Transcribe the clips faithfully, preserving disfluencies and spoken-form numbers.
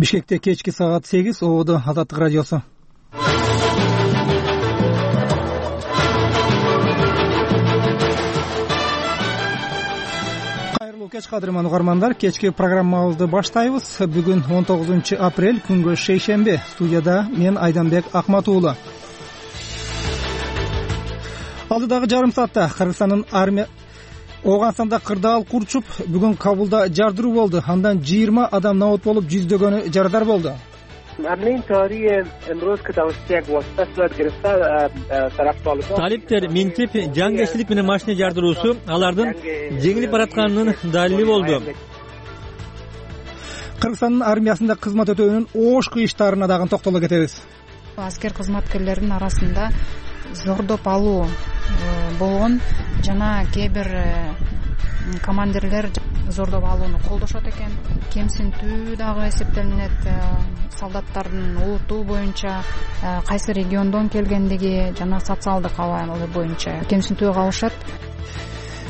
Бишкекте кечки саат сегиз, ободо Азаттык радиосу. Кайрылуу кеч, кадырман угармандар. Кечки программабызды баштайбыз. Бүгүн он тогузунчу апрель, күнгө шейшемби. Студияда мен Айданбек Акматуулу. Алдыдагы жарым саатта Кыргызстандын армия Ооганстанда кырдаал курчуп, бүгүн Кабулда жардыруу болду. Андан жыйырма адам набат болуп, жүздөгөнү жарадар болду. Талиптер минтип жангерчилик менен машина жардыруусу алардын жеңилип баратканынын далили болду. Кыргызстандын армиясында кызмат өтөөнүн оош кыйыштарына дагы токтоло кетебиз. Аскер кызматкерлеринин арасында зордоп алуу болгон жана кээ бир командирлер зордоп алууну колдошот экен. Кемсинтүү дагы эсептелинет. Солдаттардын улуту боюнча, кайсы региондон келгендиги жана социалдык абалы боюнча кемсинтүүгө калышат.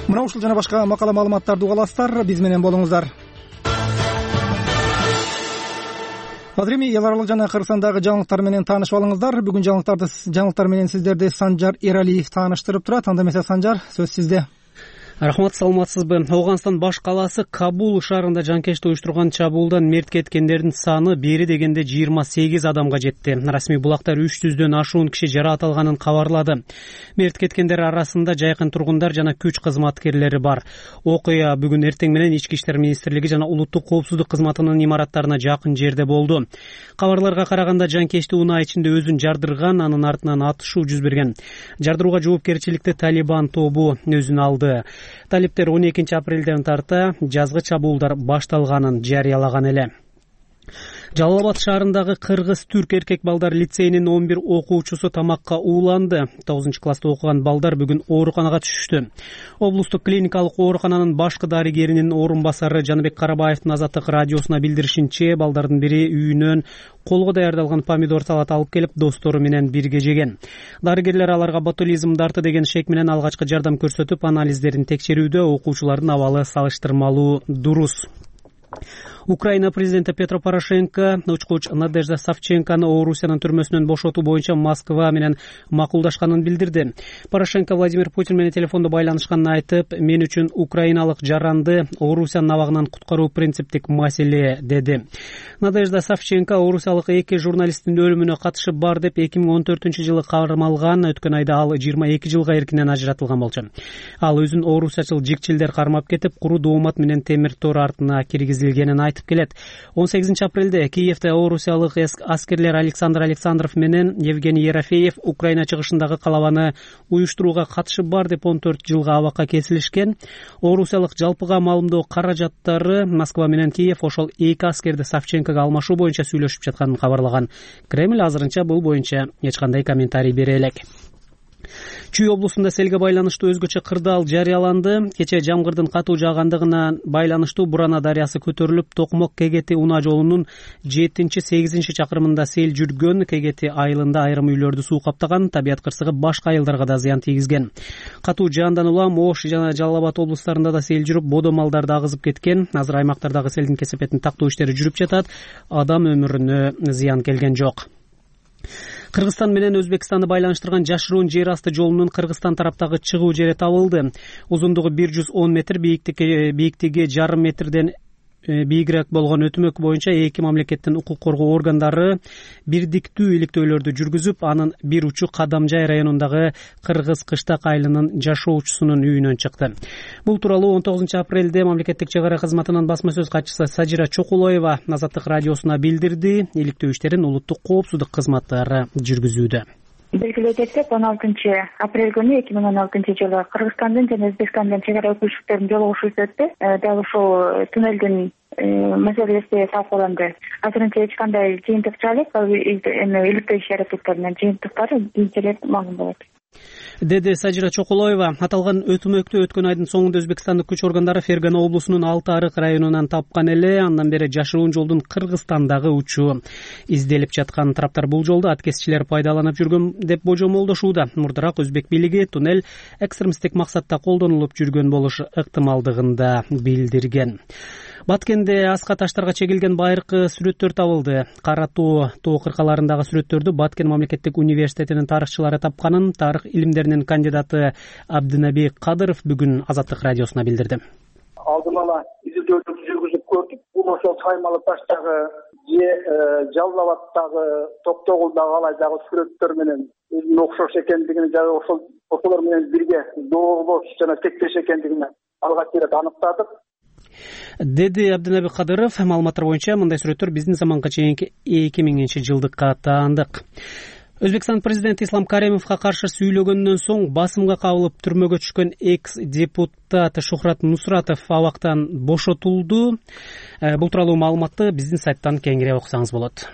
Мына ушул жана башка макала маалыматтарды уга аласыздар. Биз менен болуңуздар. Азыр эми эл аралык жана Кыргызстандагы жаңылыктар менен таанышып алыңыздар. Бүгүн жаңылыктарды жаңылыктар менен сиздерди Санжар Эралиев тааныштырып турат. Анда эмесе Санжар, сөз сизде. Рахмат, саламатсызбы? Ооганстан баш калаасы Кабул шаарында жанкечти уюштурган чабуулдан мерт кеткендердин саны бери дегенде жыйырма сегиз адамга жетти. Расмий булактар үч жүздөн ашуун киши жаракат алганын кабарлады. Мерт кеткендер арасында жайкын тургундар жана күч кызматкерлери бар. Окуя бүгүн эртең менен Ички иштер министрлиги жана улуттук коопсуздук кызматынын имараттарына жакын жерде болду. Кабарларга караганда жанкечти унаа ичинде өзүн жардырган, анын артынан атышуу жүз берген. Жардырууга жоопкерчиликти Талибан тобу өзүнө алды. Талиптер он экинчи апрелден тарта жазгы чабуулдар башталганын жарыялаган эле. Жалал Абад шаарындагы кыргыз-түрк эркек балдар лицейинин он бир окуучусу тамакка ууланды. тогузунчу класста окуган балдар бүгүн ооруканага түшүштү. Облустук клиникалык оорукананын башкы дарыгеринин орун басары Жаныбек Карабаевдин Азаттык радиосуна билдиришинче, балдардын бири үйүнөн колго даярдалган помидор салат алып келип, достору менен бирге жеген. Дарыгерлер аларга ботулизм дарты деген шек менен алгачкы жардам көрсөтүп, анализдерин текшерүүдө. Окуучулардын абалы салыштырмалуу дурус. Украина президенти Петро Порошенко учкуч Надежда Савченкону Орусиянын түрмөсүнөн бошотуу боюнча Москва менен макулдашканын билдирди. Порошенко Владимир Путин менен телефондо байланышканын айтып, мен үчүн украиналык жаранды Орусиянын абагынан куткаруу принциптик маселе деди. Надежда Савченко орусиялык эки журналисттин өлүмүнө катышы бар деп эки миң он төртүнчү жылы кармалган. Өткөн айда ал жыйырма эки жылга эркинен ажыратылган болчу. Ал өзүн орусиячыл жикчилдер кармап кетип, куру доомат менен темир тор артына киргизилгенин айтып келет. он сегизинчи апрелде Киевде орусиялык аскерлер Александр Александров менен Евгений Ерофеев Украина чыгышындагы калабаны уюштурууга катышы бар деп он төрт жылга абакка кесилишкен. Орусиялык жалпыга маалымдоо каражаттары Москва менен Киев ошол эки аскерди Савченкого алмашуу боюнча сүйлөшүп жатканын кабарлаган. Кремль азырынча бул боюнча эч кандай комментарий бере элек. Чүй облусунда селге байланыштуу өзгөчө кырдаал жарыяланды. Кече жамгырдын катуу жаагандыгына байланыштуу Бурана дарыясы көтөрүлүп, Токмок Кегети унаа жолунун жетинчи сегизинчи чакырымында сел жүргөн. Кегети айылында айрым үйлөрдү суу каптаган. Табият кырсыгы башка айылдарга да зыян тийгизген. Катуу жаандан улам Ош жана Жалал Абад облустарында да сел жүрүп, бодо малдарды агызып кеткен. Азыр аймактардагы селдин кесепетин тактоо иштери жүрүп жатат. Адам өмүрүнө зыян келген жок. Кыргызстан менен Өзбекстанды байланыштырган жашыруун жер асты жолунун Кыргызстан тараптагы чыгуу жери табылды. Узундугу бир жүз он метр, бийиктиги бийиктиги жарым метрден бийигирээк болгон өтмөк боюнча эки мамлекеттин укук коргоо органдары бирдиктүү иликтөөлөрдү жүргүзүп, анын бир учу Кадамжай районундагы Кыргыз Кыштак айылынын жашоочусунун үйүнөн чыкты. Бул тууралуу он тогузунчу апрелде мамлекеттик чек ара кызматынын басма сөз катчысы Сажира Чокулоева Азаттык радиосуна билдирди. Иликтөө иштерин улуттук коопсуздук кызматтары жүргүзүүдө. Белгилей кетсек, он алтынчы апрель күнү эки миң он алтынчы жылы Кыргызстандын жана Өзбекстандын чек ара өкүлчүлүктөрүнүн жолугушуусу өттү. Дал ушул туннелдин маселеси талкууланды. Азырынча эч кандай жыйынтык чыга элек, эми иликтөө иш аракеттеринин жыйынтыктары кийинчерээк маалым болот. деди Сажира Чокулоева. Аталган өтмөктү өткөн айдын соңунда Өзбекстандык күч органдары Фергана облусунун Алты Арык районунан тапкан эле. Андан бери жашыруун жолдун Кыргызстандагы учу изделип жаткан. Тараптар бул жолду аткезчилер пайдаланып жүргөн деп божомолдошууда. Мурдараак Өзбек бийлиги туннель экстремисттик максатта колдонулуп жүргөн болушу ыктымалдыгын да билдирген. Баткенде аска таштарга чегилген байыркы сүрөттөр табылды. Кара тоо тоо кыркаларындагы сүрөттөрдү Баткен мамлекеттик университетинин тарыхчылары тапканын тарых илимдеринин кандидаты Абдынаби Кадыров бүгүн Азаттык радиосуна билдирди. Алдын ала изилдөөлөрдү жүргүзүп көрдүк. Бул ошол Саймалы таштагы же Жалал-Абадтагы, Токтогулдагы алайдагы сүрөттөр менен өзүнө окшош экендигин жана ошол ошолор менен бирге доолош жана тектеш экендигин алгач ирет аныктадык, деди Абдынаби Кадыров. Маалыматтар боюнча мындай сүрөттөр биздин заманга чейинки эки миңинчи жылдыкка таандык. Өзбекстан президенти Ислам Каримовго каршы сүйлөгөндөн соң басымга кабылып түрмөгө түшкөн экс депутат Шухрат Нусратов абактан бошотулду. Бул тууралуу маалыматты биздин сайттан кеңири окусаңыз болот.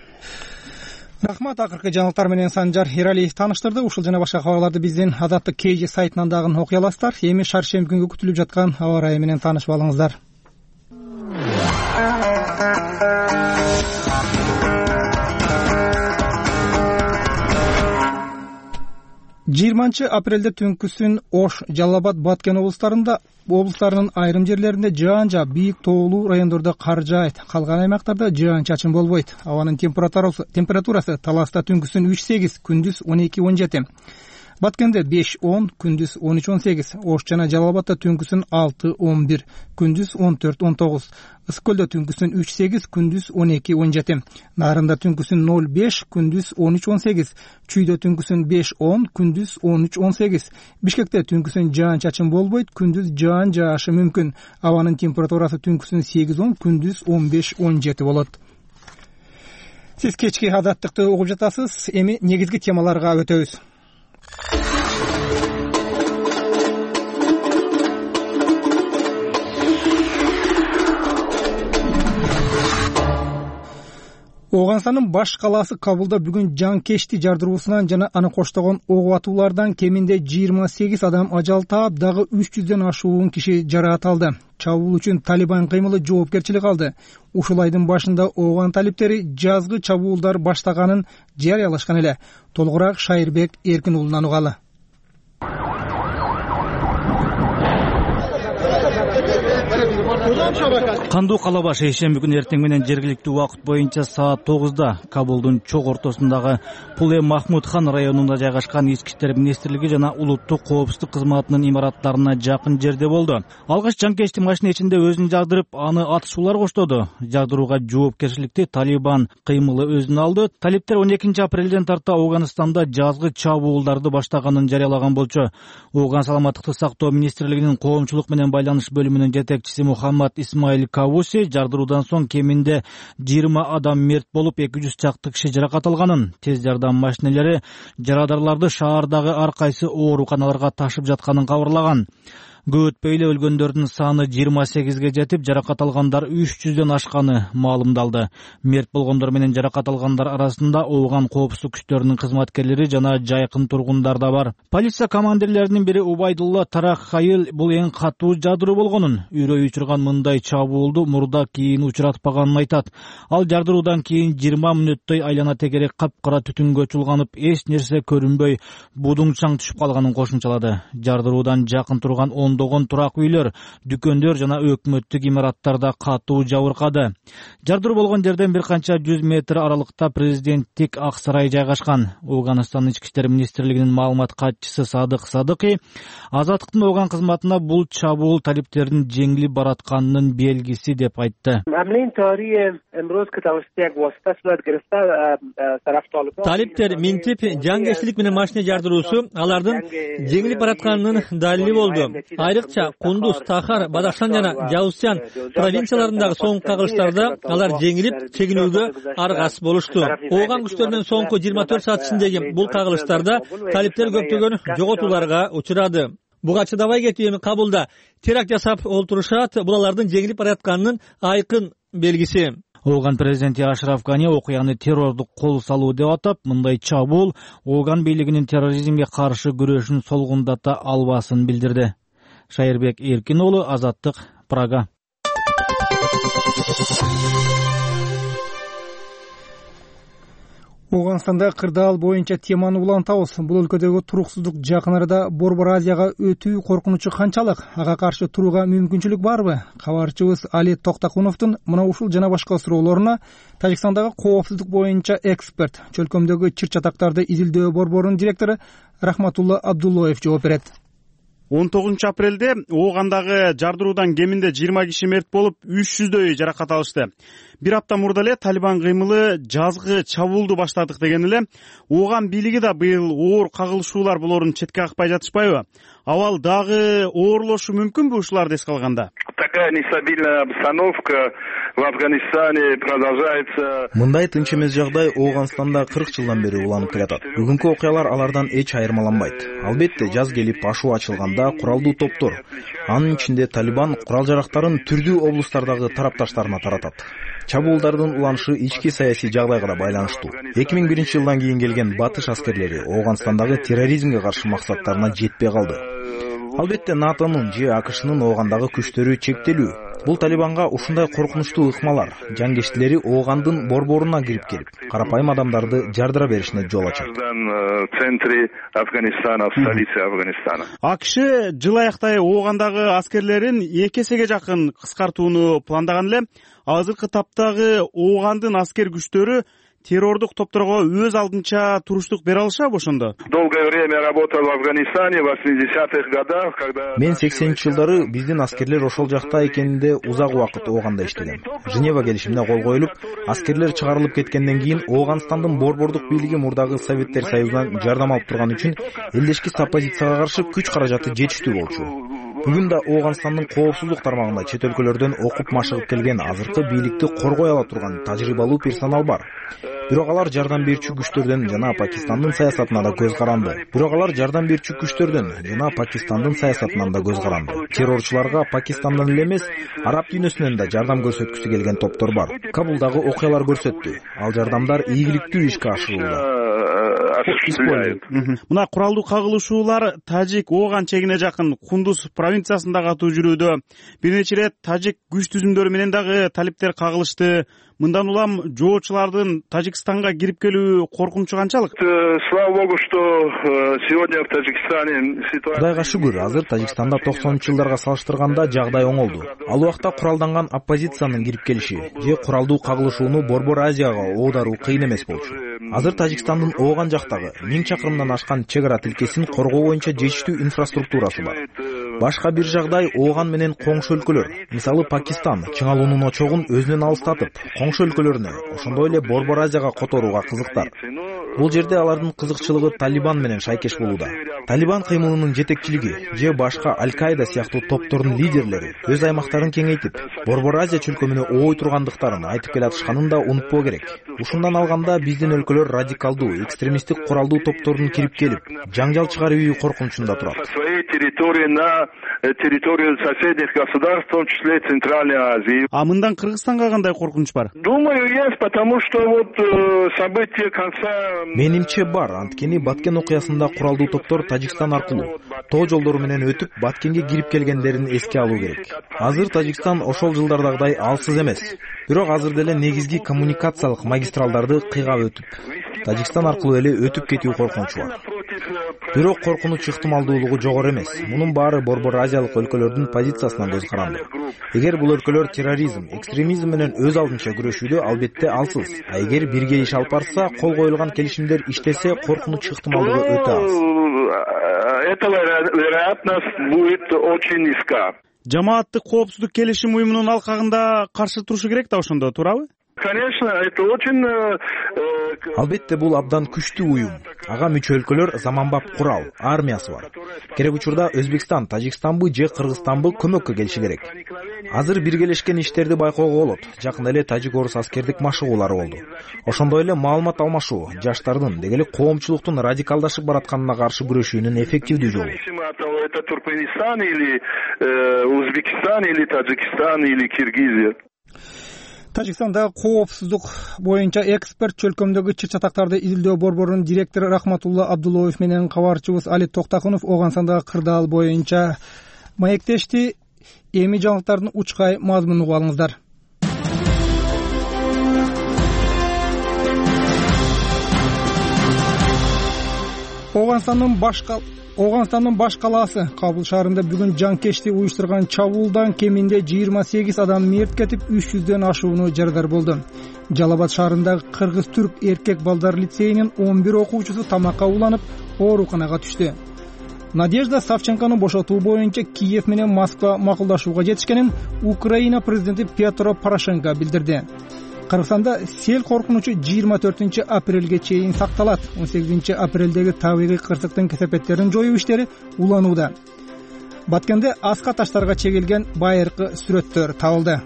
Рахмат. Акыркы жаңылыктар менен Санжар Эралиев тааныштырды. Ушул жана башка кабарларды биздин Азаттык кей жи сайтынан дагы окуй аласыздар. Эми шаршемби күнгө күтүлүп жаткан аба ырайы менен таанышып алыңыздар. жыйырманчы апрелде түнкүсүн Ош, Жалал-Абад, Баткен облустарында облустарынын айрым жерлеринде жаан жаап, бийик тоолуу райондордо кар жаайт. Калган аймактарда жаан-чачын болбойт. Абанын температурасы температурасы Таласта түнкүсүн үч сегиз, күндүз он эки он жети. Баткенде беш он, күндүз он үч он сегиз. Ош жана Жалал-Абадта түнкүсүн алты он бир, күндүз он төрт он тогуз. Ысык көлдө түнкүсүн үч сегиз, күндүз он эки он жети. Нарында түнкүсүн ноль беш, күндүз он үч он сегиз. Чүйдө түнкүсүн беш он, күндүз он үч он сегиз. Бишкекте түнкүсүн жаан-чачын болбойт, күндүз жаан жаашы мүмкүн. Абанын температурасы түнкүсүн сегиз он, күндүз он беш он жети болот. Сиз кечки Азаттыкты угуп жатасыз. Эми негизги темаларга өтөбүз. Ооганстандын баш калаасы Кабулда бүгүн жанкечти жардыруусунан жана аны коштогон ок атуулардан кеминде жыйырма сегиз адам ажал таап, дагы үч жүздөн ашуун киши жараат алды. Чабуул үчүн Талибан кыймылы жоопкерчилик алды. Ушул айдын башында ооган талиптери жазгы чабуулдар баштаганын жарыялашкан эле. Толугураак Шайырбек Эркин уулунан угалы. Кандуу калаба шейшемби күнү эртең менен жергиликтүү убакыт боюнча саат тогузда Кабулдун чок ортосундагы Пуле Махмуд хан районунда жайгашкан Ички иштер министрлиги жана улуттук коопсуздук кызматынын имараттарына жакын жерде болду. Алгач жанкечти машина ичинде өзүн жагдырып, аны атышуулар коштоду. Жагдырууга жоопкерчиликти Талибан кыймылы өзүнө алды. Талиптер он экинчи апрелден тарта Ооганстанда жазгы чабуулдарды баштаганын жарыялаган болчу. Ооган саламаттыкты сактоо министрлигинин коомчулук менен байланыш бөлүмүнүн жетекчиси Мухаммад Исмаил Кавуси жардыруудан соң кеминде жыйырма адам мерт болуп, эки жүз чакты киши жаракат алганын, тез жардам машинелери жарадарларды шаардагы ар кайсы ооруканаларга ташып жатканын кабарлаган. Көп өтпөй эле өлгөндөрдүн саны жыйырма сегизге жетип, жаракат алгандар үч жүздөн ашканы маалымдалды. Мерт болгондор менен жаракат алгандар арасында ооган коопсуздук күчтөрүнүн кызматкерлери жана жайкын тургундар да бар. Полиция командирлеринин бири Убайдулла Тарахайыл бул эң катуу жардыруу болгонун, үрөй учурган мындай чабуулду мурда кийин учуратпаганын айтат. Ал жардыруудан кийин жыйырма мүнөттөй айлана тегерек капкара түтүнгө чулганып, эч нерсе көрүнбөй, будуңчаң түшүп калганын кошумчалады. Жардыруудан жакын турган ондогон турак үйлөр, дүкөндөр жана өкмөттүк имараттарда катуу жабыркады. Жардыруу болгон жерден бир канча жүз метр аралыкта президенттик ак сарай жайгашкан. Ооганстандын ички иштер министрлигинин маалымат катчысы Садык Садыкый Азаттыктын ооган кызматына бул чабуул талиптердин жеңилип баратканынын белгиси деп айтты. Талиптер минтип жангечтилик менен машина жардыруусу алардын жеңилип баратканынын далили болду. Айрыкча Кундуз, Тахар, Бадахшан жана Жаузчан провинцияларындагы соңку кагылыштарда алар жеңилип чегинүүгө аргасыз болушту. Ооган күчтөрүнүн соңку жыйырма төрт саат ичиндеги бул кагылыштарда талиптер көптөгөн жоготууларга учурады. Буга чыдабай кетип эми Кабулда теракт жасап олтурушат. Бул алардын жеңилип баратканынын айкын белгиси. Ооган президенти Ашраф Гани окуяны террордук кол салуу деп атап, мындай чабуул Ооган бийлигинин терроризмге каршы күрөшүн солгундата албасын билдирди. Шайырбек Эркин уулу, Азаттык, Прага. Ооганстанда кырдаал боюнча теманы улантабыз. Бул өлкөдөгү туруксуздук жакын арада Борбор Азияга өтүү коркунучу канчалык? Ага каршы турууга мүмкүнчүлүк барбы? Кабарчыбыз Али Токтакуновдун мына ушул жана башка суроолоруна Тажикстандагы коопсуздук боюнча эксперт, чөлкөмдөгү чыр-чатактарды изилдөө борборунун директору Рахматулла Абдуллоев жооп берет. он тогузунчу апрелде Оогандагы жардыруудан кеминде жыйырма киши мерт болуп, үч жүздөй жаракат алышты. Бир апта мурда эле Талибан кыймылы жазгы чабуулду баштадык деген эле Ооган бийлиги да быйыл оор кагылышуулар болоорун четке какпай жатышпайбы? Абал дагы оорлошу мүмкүнбү ушуларды эске алганда? Такая нестабильная обстановка в Афганистане продолжается. Мындай тынч эмес жагдай Ооганстанда кырк жылдан бери уланып келатат. Бүгүнкү окуялар алардан эч айырмаланбайт. Албетте жаз келип ашуу ачылганда куралдуу топтор, анын ичинде Талибан курал жарактарын түрдүү облустардагы тарапташтарына таратат. Чабуулдардын уланышы ички саясий жагдайга да байланыштуу. эки миң биринчи жылдан кийин келген батыш аскерлери Ооганстандагы терроризмге каршы максаттарына жетпей калды. Албетте НАТОнун же АКШнын Оогандагы күчтөрү чектелүү. Бул Талибанга ушундай коркунучтуу ыкмалар жангештилери Оогандын борборуна кирип келип, карапайым адамдарды жардыра беришине жол ачат. В центре Афганистана, в столице Афганистана. АКШ жыл аяктай Оогандагы аскерлерин эки эсеге жакын кыскартууну пландаган эле. Азыркы таптагы Оогандын аскер күчтөрү террордук топторго өз алдынча туруштук бере алышабы ошондо? Долгое время работал в Афганистане в восьмидесятых годах, когда Мен сексенинчи жылдары биздин аскерлер ошол жакта экенинде узак убакыт Ооганда иштегем. Женева келишимине кол коюлуп, аскерлер чыгарылып кеткенден кийин Ооганстандын борбордук бийлиги мурдагы Советтер Союзунан жардам алып турган үчүн элдешкис оппозицияга каршы күч каражаты жетиштүү болчу. Бүгүн да Ооганстандын коопсуздук тармагында чет өлкөлөрдөн окуп машыгып келген азыркы бийликти коргой ала турган тажрыйбалуу персонал бар. Бирок алар жардам берүүчү күчтөрдөн жана Пакистандын саясатына да көз каранды. Бирок алар жардам берүүчү күчтөрдөн жана Пакистандын саясатынан да көз каранды. Террорчуларга Пакистандан эле эмес, араб дүйнөсүнөн да жардам көрсөткүсү келген топтор бар. Кабулдагы окуялар көрсөттү. Ал жардамдар ийгиликтүү ишке ашырылууда. Мына куралдуу кагылышуулар Тажик Ооган чегине жакын Кундуз провинциясында катуу жүрүүдө. Бир нече ирет тажик күч түзүмдөрү менен дагы талиптер кагылышты. Мындан улам жоочулардын Тажикстанга кирип келүү коркунучу канчалык? Слава богу, что сегодня в Таджикистане ситуация. Кудайга шүгүр, азыр Тажикстанда токсонунчу жылдарга салыштырганда жагдай оңолду. Ал убакта куралданган оппозициянын кирип келиши же куралдуу кагылышууну Борбор Азияга оодаруу кыйын эмес болчу. Азыр Тажикстандын Ооган жактагы миң чакырымдан ашкан чек ара тилкесин коргоо боюнча жетиштүү инфраструктурасы бар. Башка бир жагдай Ооган менен коңшу өлкөлөр, мисалы Пакистан чыңалуунун очогун өзүнөн алыстатып, коңшу өлкөлөрүнө, ошондой эле Борбор Азияга которууга кызыктар. Бул жерде алардын кызыкчылыгы Талибан менен шайкеш болууда. Талибан кыймылынын жетекчилиги же башка Аль-Каида сыяктуу топтордун лидерлери өз аймактарын кеңейтип, Борбор Азия чөлкөмүнө ой тургандыктарын айтып келатышканын да унутпоо керек. Ушундан алганда биздин өлкөлөр радикалдуу, экстремисттик куралдуу топтордун кирип келип, жаңжал чыгаруу коркунучунда турат. Территорию соседних государств, в том числе Центральной Азии. А мындан Кыргызстанга кандай коркунуч бар? Думаю, есть, потому что вот события конца. Менимче бар, анткени Баткен окуясында куралдуу топтор Тажикстан аркылуу тоо жолдору менен өтүп, Баткенге кирип келгендерин эске алуу керек. Азыр Тажикстан ошол жылдардагыдай алсыз эмес. Бирок азыр деле негизги коммуникациялык магистралдарды кыйгап өтүп, Тажикстан аркылуу эле өтүп кетүү коркунучу бар. Бирок коркунуч ыктымалдуулугу жогору эмес. Мунун баары Борбор Азиялык өлкөлөрдүн позициясынан көз каранды. Эгер бул өлкөлөр терроризм, экстремизм менен өз алдынча күрөшүүдө албетте алсыз. А эгер бирге иш алып барса, кол коюлган келишимдер иштесе, коркунуч ыктымалдыгы өтө аз. Эта вероятность будет очень низка. Жамааттык коопсуздук келишим уюмунун алкагында каршы турушу керек да ошондо, туурабы? Конечно, это очень. Албетте бул абдан күчтүү уюм. Ага мүчө өлкөлөр заманбап курал, армиясы бар. Керек учурда Өзбекстан, Тажикстанбы же Кыргызстанбы көмөккө келиши керек. Азыр биргелешкен иштерди байкоого болот. Жакында эле тажик-орус аскердик машыгуулары болду. Ошондой эле маалымат алмашуу жаштардын, деги эле коомчулуктун радикалдашып баратканына каршы күрөшүүнүн эффективдүү жолу. Это Туркменистан или Узбекистан или Таджикистан или Киргизия. Тажикстанда коопсуздук боюнча эксперт, чөлкөмдөгү чыр-чатактарды изилдөө борборунун директору Рахматулла Абдуллоев менен кабарчыбыз Али Токтакунов Ооганстандагы кырдаал боюнча маектешти. Эми жаңылыктардын учкай мазмунун угуп алыңыздар. Ооганстандын баш Ооганстандын баш калаасы Кабул шаарында бүгүн жанкечти уюштурган чабуулдан кеминде жыйырма сегиз адам мерт кетип, үч жүздөн ашууну жарадар болду. Жалал-Абад шаарындагы кыргыз-түрк эркек балдар лицейинин он бир окуучусу тамакка уланып, ооруканага түштү. Надежда Савченкону бошотуу боюнча Киев менен Москва макулдашууга жетишкенин Украина президенти Петро Порошенко билдирди. Кыргызстанда сел коркунучу жыйырма төртүнчү апрелге чейин сакталат. он сегизинчи апрелдеги табигый кырсыктын кесепеттерин жоюу иштери уланууда. Баткенде аска таштарга чегилген байыркы сүрөттөр табылды.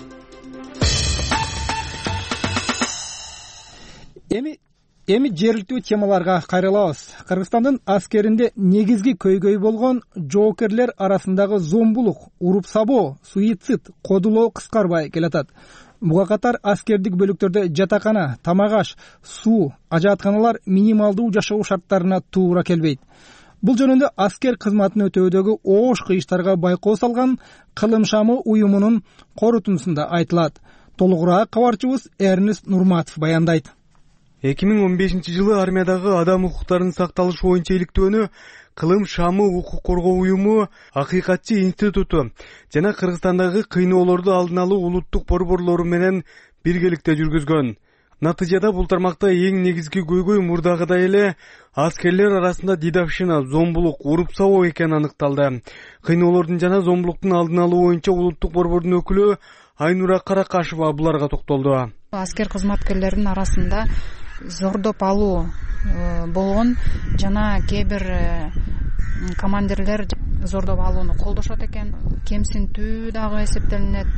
Эми эми жергиликтүү темаларга кайрылабыз. Кыргызстандын аскеринде негизги көйгөй болгон жоокерлер арасындагы зомбулук, уруп-сабоо, суицид, кодулоо кыскарбай келатат. Буга катар аскердик бөлүктөрдө жатакана, тамак-аш, суу, ажаатканалар минималдуу жашоо шарттарына туура келбейт. Бул жөнүндө аскер кызматын өтөөдөгү оош кыйыштарга байкоо салган Кылым шамы уюмунун корутундусунда айтылат. Толугураак кабарчыбыз Эрнест Нурматов баяндайт. эки миң он бешинчи жылы армиядагы адам укуктарынын сакталышы боюнча иликтөөнү Кылым шамы укук коргоо уюму, Акыйкатчы институту жана Кыргызстандагы кыйноолорду алдын алуу улуттук борборлору менен биргеликте жүргүзгөн. Натыйжада бул тармакта эң негизги көйгөй мурдагыдай эле аскерлер арасында дедовщина, зомбулук, уруп-сабоо экени аныкталды. Кыйноолордун жана зомбулуктун алдын алуу боюнча улуттук борбордун өкүлү Айнура Каракашева буларга токтолду. Аскер кызматкерлеринин арасында зордоп алуу болгон жана кээ бир командирлер зордоп алууну колдошот экен. Кемсинтүү дагы эсептелинет.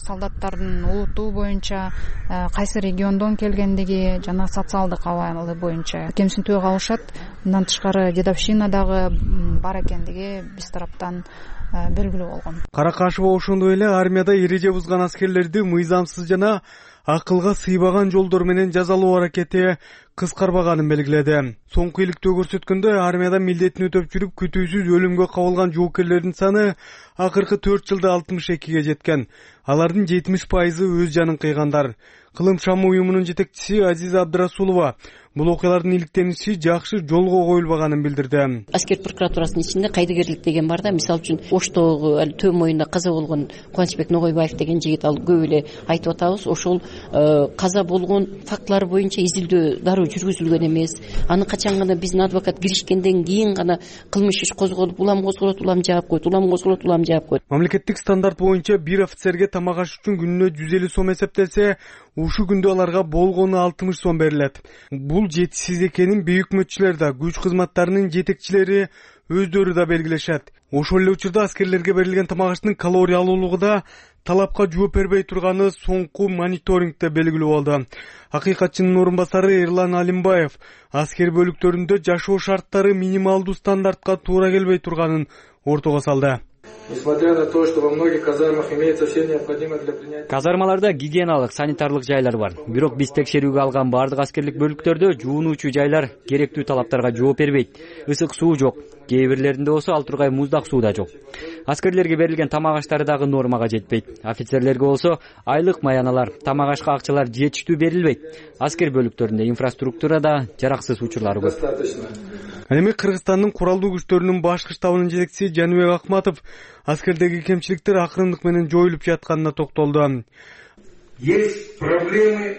Солдаттардын улуту боюнча, кайсы региондон келгендиги жана социалдык абалы боюнча кемсинтүүгө калышат. Мындан тышкары дедовщина дагы бар экендиги биз тараптан белгилүү болгон. Каракашева ошондой эле армияда эреже бузган аскерлерди мыйзамсыз жана акылга сыйбаган жолдор менен жазалоо аракети кыскарбаганын белгиледи. Соңку иликтөө көрсөткөндө армияда милдетин өтөп жүрүп күтүүсүз өлүмгө кабылган жоокерлердин саны акыркы төрт жылда алтымыш экиге жеткен. Алардын жетимиш пайызы өз жанын кыйгандар. Кылым шамы уюмунун жетекчиси Азиза Абдрасулова бул окуялардын иликтениши жакшы жолго коюлбаганын билдирди. Аскер прокуратурасынын ичинде кайдыгерлик деген бар да. Мисалы үчүн Оштогу Төө моюнда каза болгон Кубанычбек Ногойбаев деген жигит, ал көп эле айтып атабыз. Ошол каза болгон фактылар боюнча изилдөө дароо жүргүзүлгөн эмес. Аны качан гана биздин адвокат киришкенден кийин гана кылмыш иш козголуп, улам козголот, улам жаап койт, улам козголот, улам жаап койт. Мамлекеттик стандарт боюнча бир офицерге тамак аш үчүн күнүнө жүз элүү сом эсептелсе, ушу күндө аларга болгону алтымыш сом берилет. Бул жетишсиз экенин бейөкмөтчүлөр да, күч кызматтарынын жетекчилери өздөрү да белгилешет. Ошол эле учурда аскерлерге берилген тамак аштын калориялуулугу да талапка жооп бербей турганы соңку мониторингде белгилүү болду. Акыйкатчынын орун басары Эрлан Алимбаев аскер бөлүктөрүндө жашоо шарттары минималдуу стандартка туура келбей турганын ортого салды. Несмотря на то, что во многих казармах имеется все необходимое для принятия. Казармаларда гигиеналык, санитарлык жайлар бар. Бирок биз текшерүүгө алган бардык аскерлик бөлүктөрдө жуунуучу жайлар керектүү талаптарга жооп бербейт. Ысык суу жок. Кээ бирлеринде болсо ал тургай муздак суу да жок. Аскерлерге берилген тамак аштары дагы нормага жетпейт. Офицерлерге болсо айлык маяналар, тамак ашка акчалар жетиштүү берилбейт. Аскер бөлүктөрүндө инфраструктура да жараксыз учурлары көп. Эми Кыргызстандын куралдуу күчтөрүнүн башкы штабынын жетекчиси Жаныбек Акматов аскердеги кемчиликтер акырындык менен жоюлуп жатканына токтолду. Есть проблемы.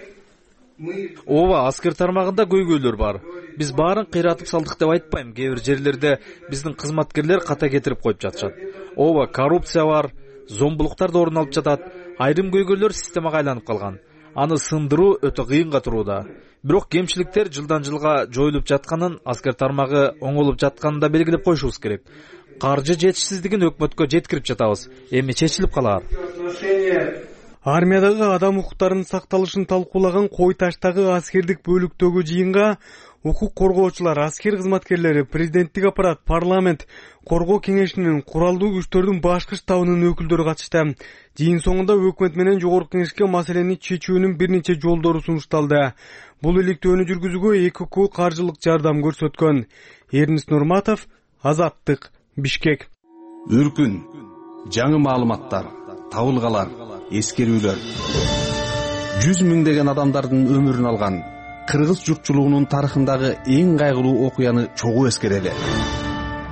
Ооба, аскер тармагында көйгөйлөр бар. Биз баарын кыйратып салдык деп айтпайм. Кээ бир жерлерде биздин кызматкерлер ката кетирип коюп жатышат. Ооба, коррупция бар, зомбулуктар да орун алып жатат. Айрым көйгөйлөр системага айланып калган. Аны сындыруу өтө кыйынга турууда. Бирок кемчиликтер жылдан жылга жоюлуп жатканын, аскер тармагы оңолуп жатканын да белгилеп коюшубуз керек. Каржы жетишсиздигин өкмөткө жеткирип жатабыз. Эми чечилип калар. Армиядагы адам укуктарынын сакталышын талкуулаган Кой Таштагы аскердик бөлүктөгү жыйынга укук коргоочулар, аскер кызматкерлери, президенттик аппарат, парламент, коргоо кеңешинин, куралдуу күчтөрдүн башкы штабынын өкүлдөрү катышты. Жыйын соңунда өкмөт менен жогорку кеңешке маселени чечүүнүн бир нече жолдору сунушталды. Бул иликтөөнү жүргүзүүгө эки ку каржылык жардам көрсөткөн. Эрнест Нурматов, Азаттык, Бишкек. Үркүн, жаңы маалыматтар, табылгалар, эскерүүлөр. Жүз миңдеген адамдардын өмүрүн алган кыргыз журтчулугунун тарыхындагы эң кайгылуу окуяны чогуу эскерели.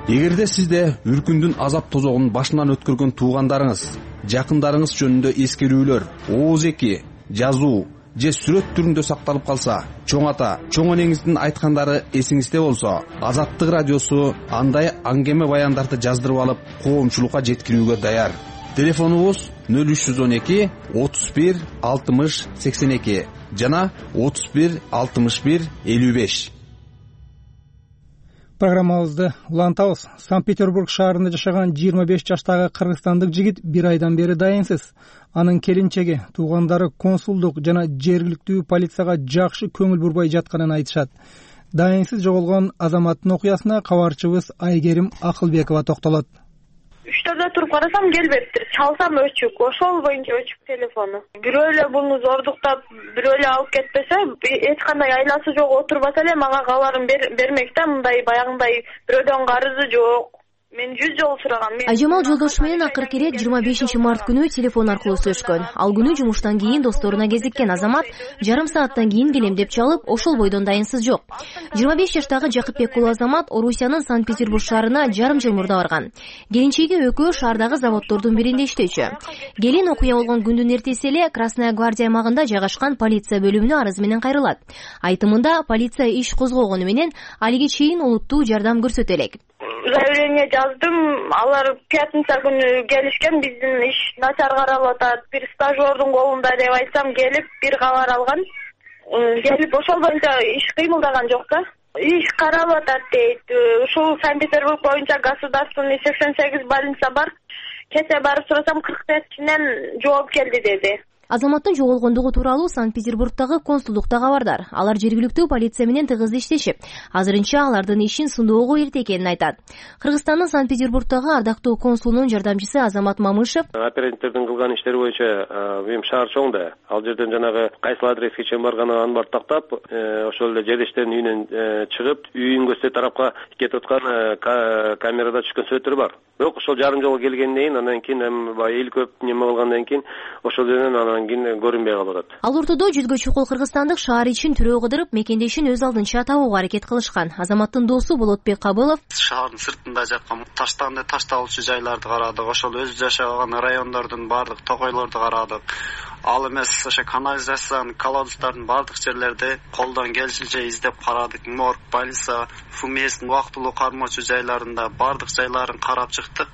Эгерде сизде үркүндүн азап тозогун башынан өткөргөн туугандарыңыз, жакындарыңыз жөнүндө эскерүүлөр, ооз-эки, жазуу же сүрөт түрүндө сакталып калса, чоң ата, чоң энеңиздин айткандары эсиңизде болсо, Азаттык радиосу андай аңгеме баяндарды жаздырып алып, коомчулукка жеткирүүгө даяр. Телефонубуз нөл үч жүз он эки отуз бир алтымыш сексен эки жана отуз бир алтымыш бир элүү беш. Программабызды улантабыз. Санкт-Петербург шаарында жашаган жыйырма беш жаштагы кыргызстандык жигит бир айдан бери дайынсыз. Анын келинчеги, туугандары консулдук жана жергиликтүү полицияга жакшы көңүл бурбай жатканын айтышат. Дайынсыз жоголгон азаматтын окуясына кабарчыбыз Айгерим Акылбекова токтолот. Үчтөрдө туруп карасам келбептир. Чалсам өчүк, ошол боюнча өчүк телефону. Бирөө эле буну зордуктап, бирөө эле алып кетпесе, эч кандай айласы жок отурбаса эле мага кабарын бермек да, мындай баягындай бирөөдөн карызы жок. Мен жүз жолу сурагам. Айжамал жолдошу менен акыркы ирет жыйырма бешинчи март күнү телефон аркылуу сүйлөшкөн. Ал күнү жумуштан кийин досторуна кезиккен азамат жарым сааттан кийин келем деп чалып, ошол бойдон дайынсыз жок. жыйырма беш жаштагы Жакыпбек уулу азамат Орусиянын Санкт-Петербург шаарына жарым жыл мурда барган. Келинчеги экөө шаардагы заводдордун биринде иштөөчү. Келин окуя болгон күндүн эртеси эле Красная гвардия аймагында жайгашкан полиция бөлүмүнө арыз менен кайрылат. Айтымында полиция иш козгогону менен алиге чейин олуттуу жардам көрсөтө элек. Заявление жаздым, алар пятница күнү келишкен, биздин иш начар каралып атат, бир стажердун колунда деп айтсам, келип бир кабар алган. Келип ошол боюнча иш кыймылдаган жок да. Иш каралып атат дейт. Ушул Санкт-Петербург боюнча государственный сексен сегиз больница бар. Кече барып сурасам, кырк бешинен жооп келди деди. Азаматтын жоголгондугу тууралуу Санкт-Петербургдагы консулдукта кабардар. Алар жергиликтүү полиция менен тыгыз иштешип, азырынча алардын ишин сыноого эрте экенин айтат. Кыргызстандын Санкт-Петербургдагы ардактуу консулунун жардамчысы Азамат Мамышев: Оперативдердин кылган иштери боюнча мен шаар чоң да. Ал жерден жанагы кайсыл адреске чейин барганын аны бар тактап, ошол эле жердештердин үйүнөн чыгып, үйүн көзсө тарапка кетип аткан камерада түшкөн сүрөттөр бар. Бирок ошол жарым жолго келгенден кийин, андан кийин эми эл көп неме кылгандан кийин ошол жерден анан көрүнбөй калып атат. Ал ортодо жүзгө чукул кыргызстандык шаар ичин түрөө кыдырып, мекендешин өз алдынча табууга аракет кылышкан. Азаматтын досу Болотбек Кабылов: Шаардын сыртында жаткан таштанды ташталуучу жайларды карадык, ошол өз жашаган райондордун баардык токойлорду карадык. Ал эмес ошо канализациянын колодустардын баардык жерлерди колдон келишинче издеп карадык. Морг, больница, ФМСтин убактылуу кармоочу жайларында баардык жайларын карап чыктык.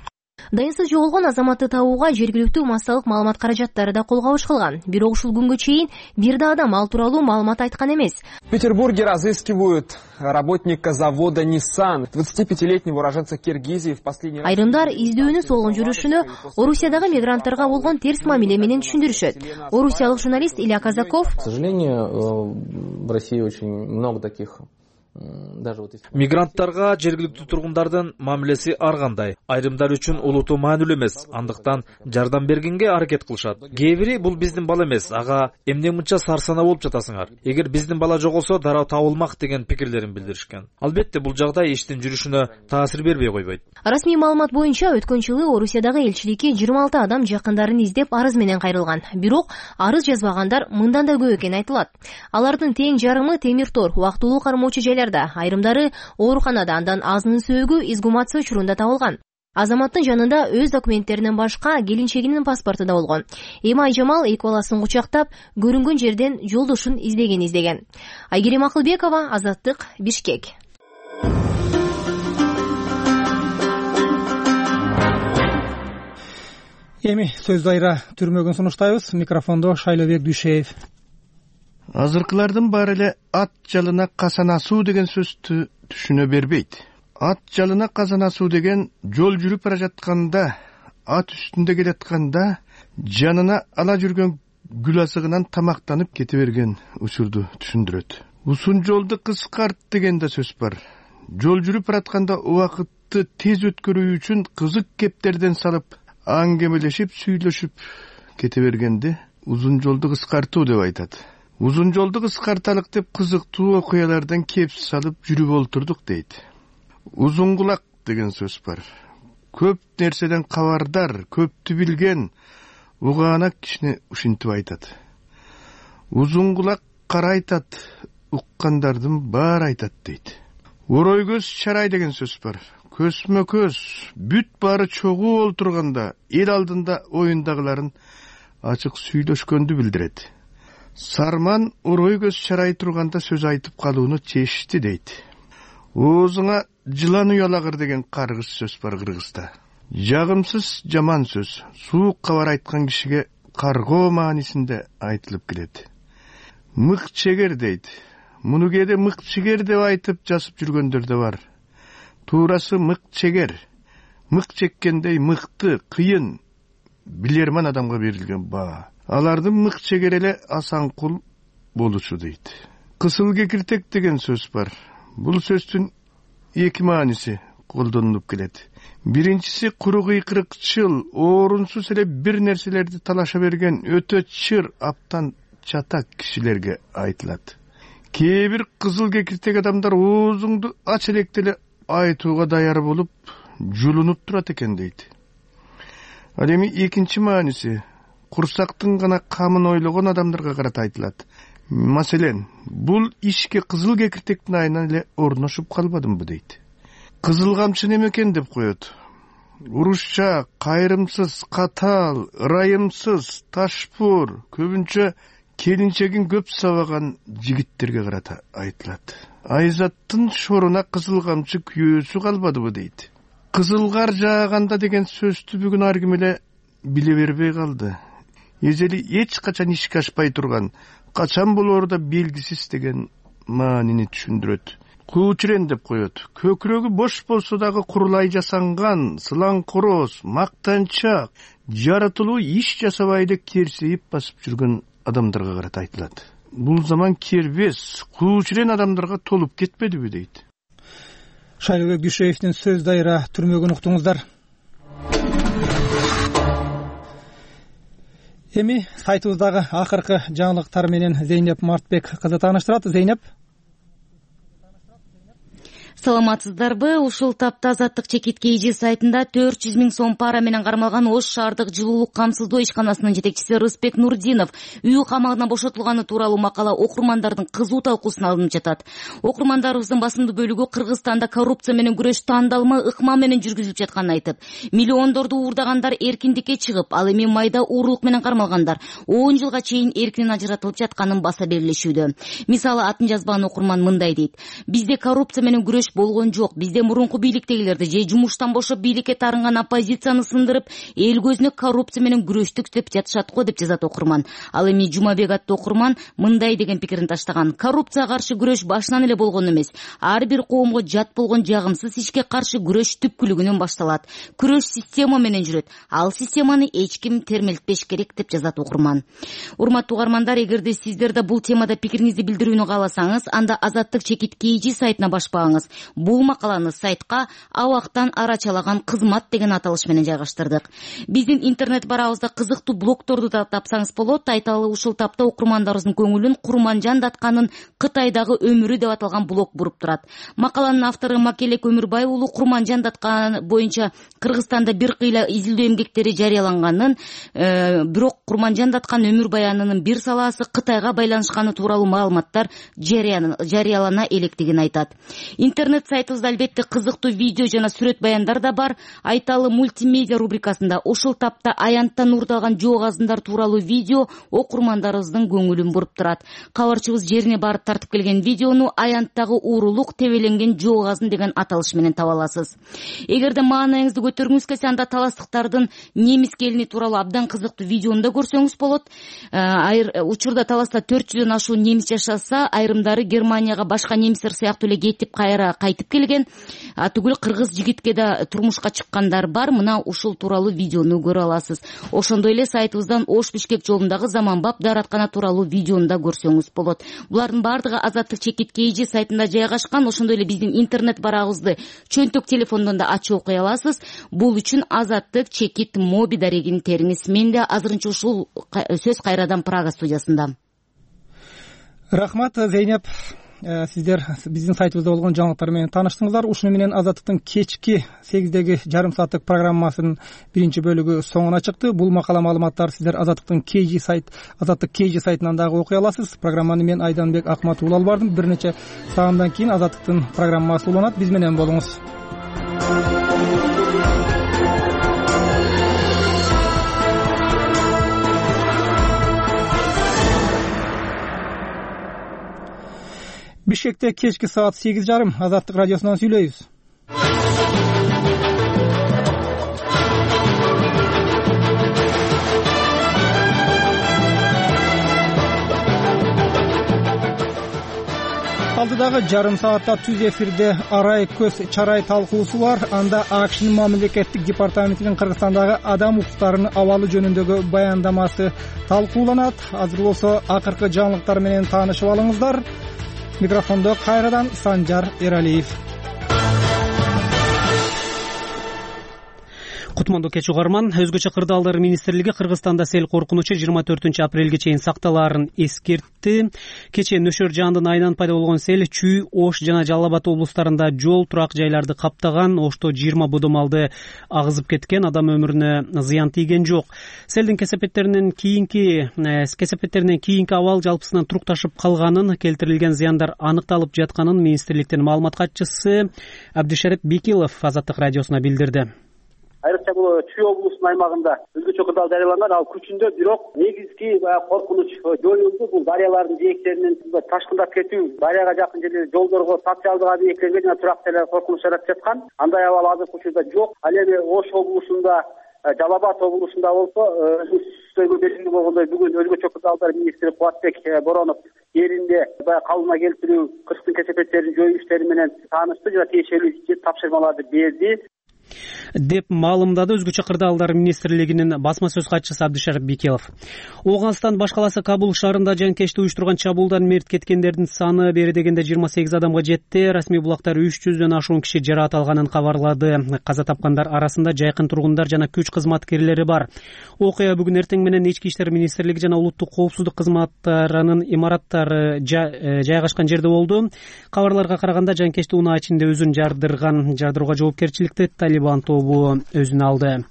Дайынсыз жоголгон азаматты табууга жергиликтүү массалык маалымат каражаттары да кол кабыш кылган. Бирок ушул күнгө чейин бир да адам ал тууралуу маалымат айткан эмес. В Петербурге разыскивают работника завода Nissan, двадцатипятилетнего уроженца Киргизии в последний раз. Айрымдар издөөнү солгон жүрүшүнө Орусиядагы мигранттарга болгон терс мамиле менен түшүндүрүшөт. Орусиялык журналист Илья Казаков: К сожалению, в России очень много таких. Мигранттарга жергиликтүү тургундардын мамилеси ар кандай. Айрымдар үчүн улуту маанилүү эмес, андыктан жардам бергенге аракет кылышат. Кээ бири бул биздин бала эмес, ага эмне мынча сарсана болуп жатасыңар? Эгер биздин бала жоголсо дароо табылмак деген пикирлерин билдиришкен. Албетте бул жагдай иштин жүрүшүнө таасир бербей койбойт. Расмий маалымат боюнча өткөн жылы Орусиядагы элчиликке жыйырма алты адам жакындарын издеп арыз менен кайрылган. Бирок арыз жазбагандар мындан да көп экени айтылат. Алардын тең жарымы темир тор, убактылуу кармоочу жайларда, айрымдары ооруканада, андан азынын сөөгү изгумация учурунда табылган. Азаматтын жанында өз документтеринен башка келинчегинин паспорту да болгон. Эми Айжамал эки баласын кучактап, көрүнгөн жерден жолдошун издеген издеген. Айгерим Акылбекова, Азаттык, Бишкек. Эми сөз дайра түрмөгүн сунуштайбыз. Микрофондо Шайлобек Дүйшеев. Азыркылардын баары эле ат жалына казанасуу деген сөздү түшүнө бербейт. Ат жалына казанасуу деген жол жүрүп бара жатканда, ат үстүндө келатканда жанына ала жүргөн гүл азыгынан тамактанып кете берген учурду түшүндүрөт. Узун жолду кыскарт деген да сөз бар. Жол жүрүп баратканда убакытты тез өткөрүү үчүн кызык кептерден салып, аңгемелешип, сүйлөшүп кете бергенди узун жолду кыскартуу деп айтат. Узун жолду кыскарталык деп кызыктуу окуялардан кеп салып жүрүп олтурдук дейт. Узун кулак деген сөз бар. Көп нерседен кабардар, көптү билген, угаанак кишини ушинтип айтат. Узун кулак карайтат, уккандардын баары айтат дейт. Орой көз чарай деген сөз бар. Көзмө көз бүт баары чогуу олтурганда эл алдында оюндагыларын ачык сүйлөшкөндү билдирет. Сарман орой көз чарай турганда сөз айтып калууну чечти дейт. Оозуңа жылан уялагыр деген каргыш сөз бар Кыргызда. Жагымсыз жаман сөз суук кабар айткан кишиге каргоо маанисинде айтылып келет. Мык чегер дейт. Муну кээде мык чегер деп айтып жазып жүргөндөр да бар. Туурасы мык чегер. Мык чеккендей мыкты, кыйын, билерман адамга берилген баа. Алардын мык чегер эле асанкул болушу дейт. Кысыл кекиртек деген сөз бар. Бул сөздүн эки мааниси колдонулуп келет. Биринчиси куру кыйкырыкчыл, орунсуз эле бир нерселерди талаша берген өтө чыр, аптан чатак кишилерге айтылат. Кээ бир кызыл кекиртек адамдар оозуңду ач электе эле айтууга даяр болуп, жулунуп турат экен дейт. Ал эми экинчи мааниси курсактын гана камын ойлогон адамдарга карата айтылат. Маселен, бул ишке кызыл кекиртектин айынан эле орношуп калбадымбы дейт. Кызыл камчы неме экен деп коет. Урушча, кайрымсыз, катаал, ырайымсыз, ташпур, көбүнчө келинчегин көп сабаган жигиттерге карата айтылат. Айзаттын шоруна кызыл камчы күйөөсү калбадыбы дейт. Кызыл кар жааганда деген сөздү бүгүн ар ким эле биле бербей калды. Эзели эч качан ишке ашпай турган, качан болоору да белгисиз деген маанини түшүндүрөт. Куучурен деп коет. Көкүрөгү бош болсо дагы курулай жасанган, сылаң короз, мактанчак, жаратылуу иш жасабай эле керсейип басып жүргөн адамдарга карата айтылат. Бул заман кербес, куучурен адамдарга толуп кетпедиби дейт. Шайлыбек Дүйшеевдин сөз дайра түрмөгүн уктуңуздар. Эми сайтыбыздагы акыркы жаңылыктар менен Зейнеп Мартбек кызы тааныштырат. Зейнеп. Саламатсыздарбы? Ушул тапта Азаттык чекит кей сайтында төрт жүз миң сом пара менен кармалган Ош шаардык жылуулук камсыздоо ишканасынын жетекчиси Рыспек Нурдинов үй камагына бошотулганы тууралуу макала окурмандардын кызуу талкуусуна алынып жатат. Окурмандарыбыздын басымдуу бөлүгү Кыргызстанда коррупция менен күрөш тандалма ыкма менен жүргүзүлүп жатканын айтып, миллиондорду уурдагандар эркиндикке чыгып, ал эми майда уурулук менен кармалгандар он жылга чейин эркинен ажыратылып жатканын баса белгилешүүдө. Мисалы, атын жазбаган окурман мындай дейт: бизде коррупция менен күрөш болгон жок. Бизде мурунку бийликтегилерди же жумуштан бошоп бийликке тарынган оппозицияны сындырып, эл көзүнө коррупция менен күрөштүк деп жатышат го деп жазат окурман. Ал эми Жумабек аттуу окурман мындай деген пикирин таштаган: коррупцияга каршы күрөш башынан эле болгон эмес. Ар бир коомго жат болгон жагымсыз ишке каршы күрөш түпкүлүгүнөн башталат. Күрөш система менен жүрөт. Ал системаны эч ким термелтпеш керек деп жазат окурман. Урматтуу угармандар, эгерде сиздер да бул темада пикириңизди билдирүүнү кааласаңыз, анда Азаттык чекит кей сайтына башпагыңыз. Бул макаланы сайтка Абактан арачалаган кызмат деген аталыш менен жайгаштырдык. Биздин интернет барабызда кызыктуу блогторду да тапсаңыз болот. Айталы, ушул тапта окурмандарыбыздын көңүлүн Курманжан Датканын Кытайдагы өмүрү деп аталган блог буруп турат. Макаланын автору Макелек Өмүрбай уулу Курманжан Даткан боюнча Кыргызстанда бир кыйла изилдөө эмгектери жарыяланганын, э, бирок Курманжан Даткан өмүр баянынын бир салаасы Кытайга байланышканы тууралуу маалыматтар жарыялана электигин айтат. Интернет сайтыбызда албетте кызыктуу видео жана сүрөт баяндар да бар. Айталы, мультимедиа рубрикасында ушул тапта аянттан уурдалган жоо азындар тууралуу видео окурмандарыбыздын көңүлүн буруп турат. Кабарчыбыз жерине барып тартып келген видеону аянттагы уурулук тебеленген жоо азын деген аталыш менен таба аласыз. Эгерде маанайыңызды көтөргүңүз келсе, анда таластыктардын немис келини тууралуу абдан кызыктуу видеону да көрсөңүз болот. Айыр учурда таласта төрт жүздөн ашуун немис жашаса, айрымдары Германияга башка немистер сыяктуу эле кетип кайра кайтып келген. Атүгүл кыргыз жигитке да турмушка чыккандар бар. Мына ушул тууралуу видеону көрө аласыз. Ошондой эле сайтыбыздан Ош Бишкек жолундагы заманбап даараткана тууралуу видеону да көрсөңүз болот. Булардын бардыгы Азаттык чекит кей сайтында жайгашкан. Ошондой эле биздин интернет барагыбызды чөнтөк телефондон да ачып окуй аласыз. Бул үчүн Азаттык чекит моби дарегин териңиз. Мен да азырынча ушул сөз кайрадан Прага студиясында. Рахмат, Зейнеп. сиздер биздин сайтыбызда болгон жаңылыктар менен тааныштыңыздар. Ушуну менен Азаттыктын кечки сегиздеги жарым сааттык программасынын биринчи бөлүгү соңуна чыкты. Бул макала маалыматтарды сиздер Азаттыктын Кж сайт Азаттык Кж сайтынан дагы окуй аласыз. Программаны мен Айданбек Акматов алып бардым. Бир нече саамдан кийин Азаттыктын программасы уланат. Биз менен болуңуз. Бишкекте кечки саат сегиз жарым Азаттык радиосунан сүйлөйбүз. Алдыдагы жарым саатта түз эфирде арай көз чарай талкуусу бар. Анда АКШнын мамлекеттик департаментинин Кыргызстандагы адам укуктарынын абалы жөнүндөгү баяндамасы талкууланат. Азыр болсо акыркы жаңылыктар менен таанышып алыңыздар. Микрофондо кайрадан Санжар Эралиев. Кутмандуу кеч угарман. Өзгөчө кырдаалдар министрлиги Кыргызстанда сел коркунучу жыйырма төртүнчү апрелге чейин сакталаарын эскертти. Кечээ нөшөр жаандын айынан пайда болгон сел Чүй, Ош жана Жалал Абад облустарында жол, турак жайларды каптаган. Ошто жыйырма бодомалды агызып кеткен, адам өмүрүнө зыян тийген жок. Селдин кесепеттеринен кийинки кесепеттеринен кийинки абал жалпысынан турукташып калганын, келтирилген зыяндар аныкталып жатканын министрликтин маалымат катчысы Абдишарип Бекилов Азаттык радиосуна билдирди. Айрыкча бул Чүй облусунун аймагында өзгөчө кырдаал жарыяланган, ал күчүндө, бирок негизги коркунуч жоюлду. Бул дарыялардын жээктеринин ташкындап кетүү, дарыяга жакын жерлерде жолдорго, социалдык объекттерге жана турак жайларга коркунуч жаратып жаткан. Андай абал азыркы учурда жок. Ал эми Ош облусунда, Жалал Абад облусунда болсо өзүбүздөгү белгилүү болгондой бүгүн өзгөчө кырдаалдар министри Кубатбек Боронов жеринде баягы калыбына келтирүү, кырктын кесепеттерин жоюу иштери менен таанышты жана тиешелүү тапшырмаларды берди деп маалымдады өзгөчө кырдаалдар министрлигинин басма сөз катчысы Абдишарип Бекилов. Ооганстан баш каласы Кабул шаарында жанкечти уюштурган чабуулдан мерт кеткендердин саны бери дегенде жыйырма сегиз адамга жетти. Расмий булактар үч жүздөн ашуун киши жаракат алганын кабарлады. Каза тапкандар арасында жайкын тургундар жана күч кызматкерлери бар. Окуя бүгүн эртең менен Ички иштер министрлиги жана улуттук коопсуздук кызматтарынын имараттары жайгашкан жерде болду. Кабарларга караганда жанкечти унаа ичинде өзүн жардырган. Жардырууга жоопкерчиликти Талибан тобу өзүнө алды.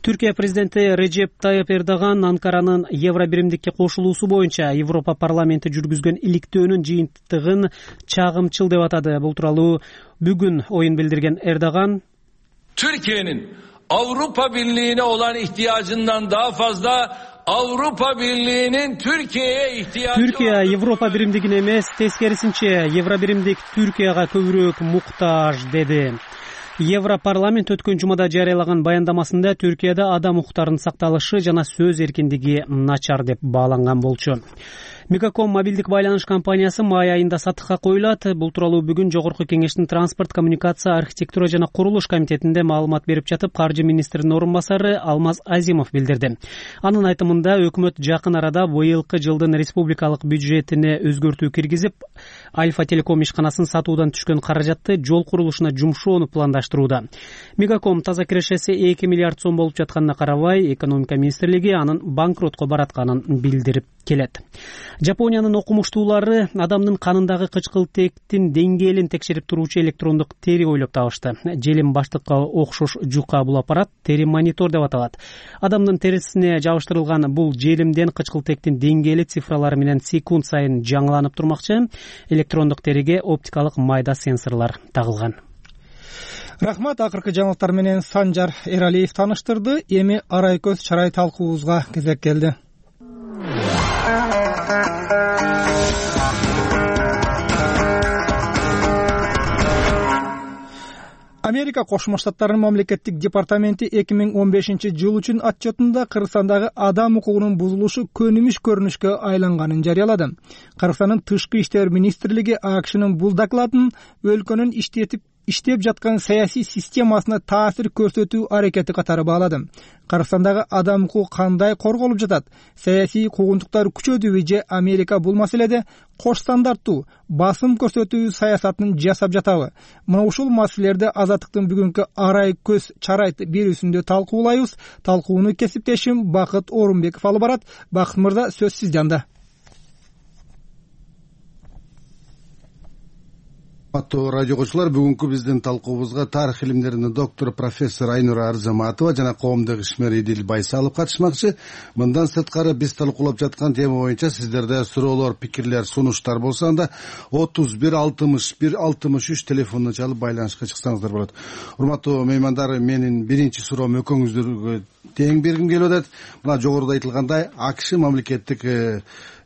Түркия президенти Режеп Тайып Эрдоган Анкаранын Евробиримдикке кошулуусу боюнча Европа парламенти жүргүзгөн иликтөөнүн жыйынтыгын чагымчыл деп атады. Бул тууралуу бүгүн оюн билдирген Эрдоган Türkiye'nin Avrupa Birliği'ne olan ihtiyacından daha fazla Avrupa Birliği'nin Türkiye'ye ihtiyacı Türkiye Европа биримдигине эмес, тескерисинче Евробиримдик Түркияга көбүрөөк муктаж деди. Европарламент өткөн жумада жарыялаган баяндамасында Түркияда адам укуктарынын сакталышы жана сөз эркиндиги начар деп бааланган болчу. Мегаком мобилдик байланыш компаниясы май айында сатыкка коюлат. Бул тууралуу бүгүн Жогорку кеңештин транспорт, коммуникация, архитектура жана курулуш комитетинде маалымат берип жатып, каржы министринин орун басары Алмаз Азимов билдирди. Анын айтымында өкмөт жакын арада быйылкы жылдын республикалык бюджетине өзгөртүү киргизип, Альфа Телеком ишканасын сатуудан түшкөн каражатты жол курулушуна жумшоону пландаштырууда. Мегаком таза кирешеси эки миллиард сом болуп жатканына карабай, экономика министрлиги анын банкротко баратканын билдирип келет. Жапониянын окумуштуулары адамдын канындагы кычкылтектин деңгээлин текшерип туруучу электрондук тери ойлоп табышты. Желим баштыкка окшош жука бул аппарат тери монитор деп аталат. Адамдын терисине жабыштырылган бул желимден кычкылтектин деңгээли цифралары менен секунд сайын жаңыланып турмакчы. Электрондук териге оптикалык майда сенсорлор тагылган. Рахмат, акыркы жаңылыктар менен Санжар Эралиев тааныштырды. Эми арай көз чарай талкуубузга кезек келди. Америка Кошмо Штаттарынын мамлекеттик департаменти эки миң он бешинчи жыл үчүн отчетунда Кыргызстандагы адам укугунун бузулушу көнүмүш көрүнүшкө айланганын жарыялады. Кыргызстандын тышкы иштер министрлиги АКШнын бул докладын өлкөнүн иштетип иштеп жаткан саясий системасына таасир көрсөтүү аракети катары баалады. Кыргызстандагы адам укугу кандай корголуп жатат? Саясий куугунтуктар күчөдүбү же Америка бул маселеде кош стандарттуу басым көрсөтүү саясатын жасап жатабы? Мына ушул маселелерди Азаттыктын бүгүнкү арай көз чарай берүүсүндө талкуулайбыз. Талкууну кесиптешим Бакыт Орунбеков алып барат. Бакыт мырза, сөз сизде анда. Аттуу радио коңчулар, бүгүнкү биздин талкуубузга тарых илимдеринин доктору профессор Айнура Арзаматова жана коомдук ишмер Идил Байсалов катышмакчы. Мындан сырткары биз талкуулап жаткан тема боюнча сиздерде суроолор, пикирлер, сунуштар болсо анда отуз бир алтымыш бир алтымыш үч телефонуна чалып байланышка чыксаңыздар болот. Урматтуу меймандар, менин биринчи суроом экөөңүздөргө тең бергим келип атат. Мына жогоруда айтылгандай, АКШ мамлекеттик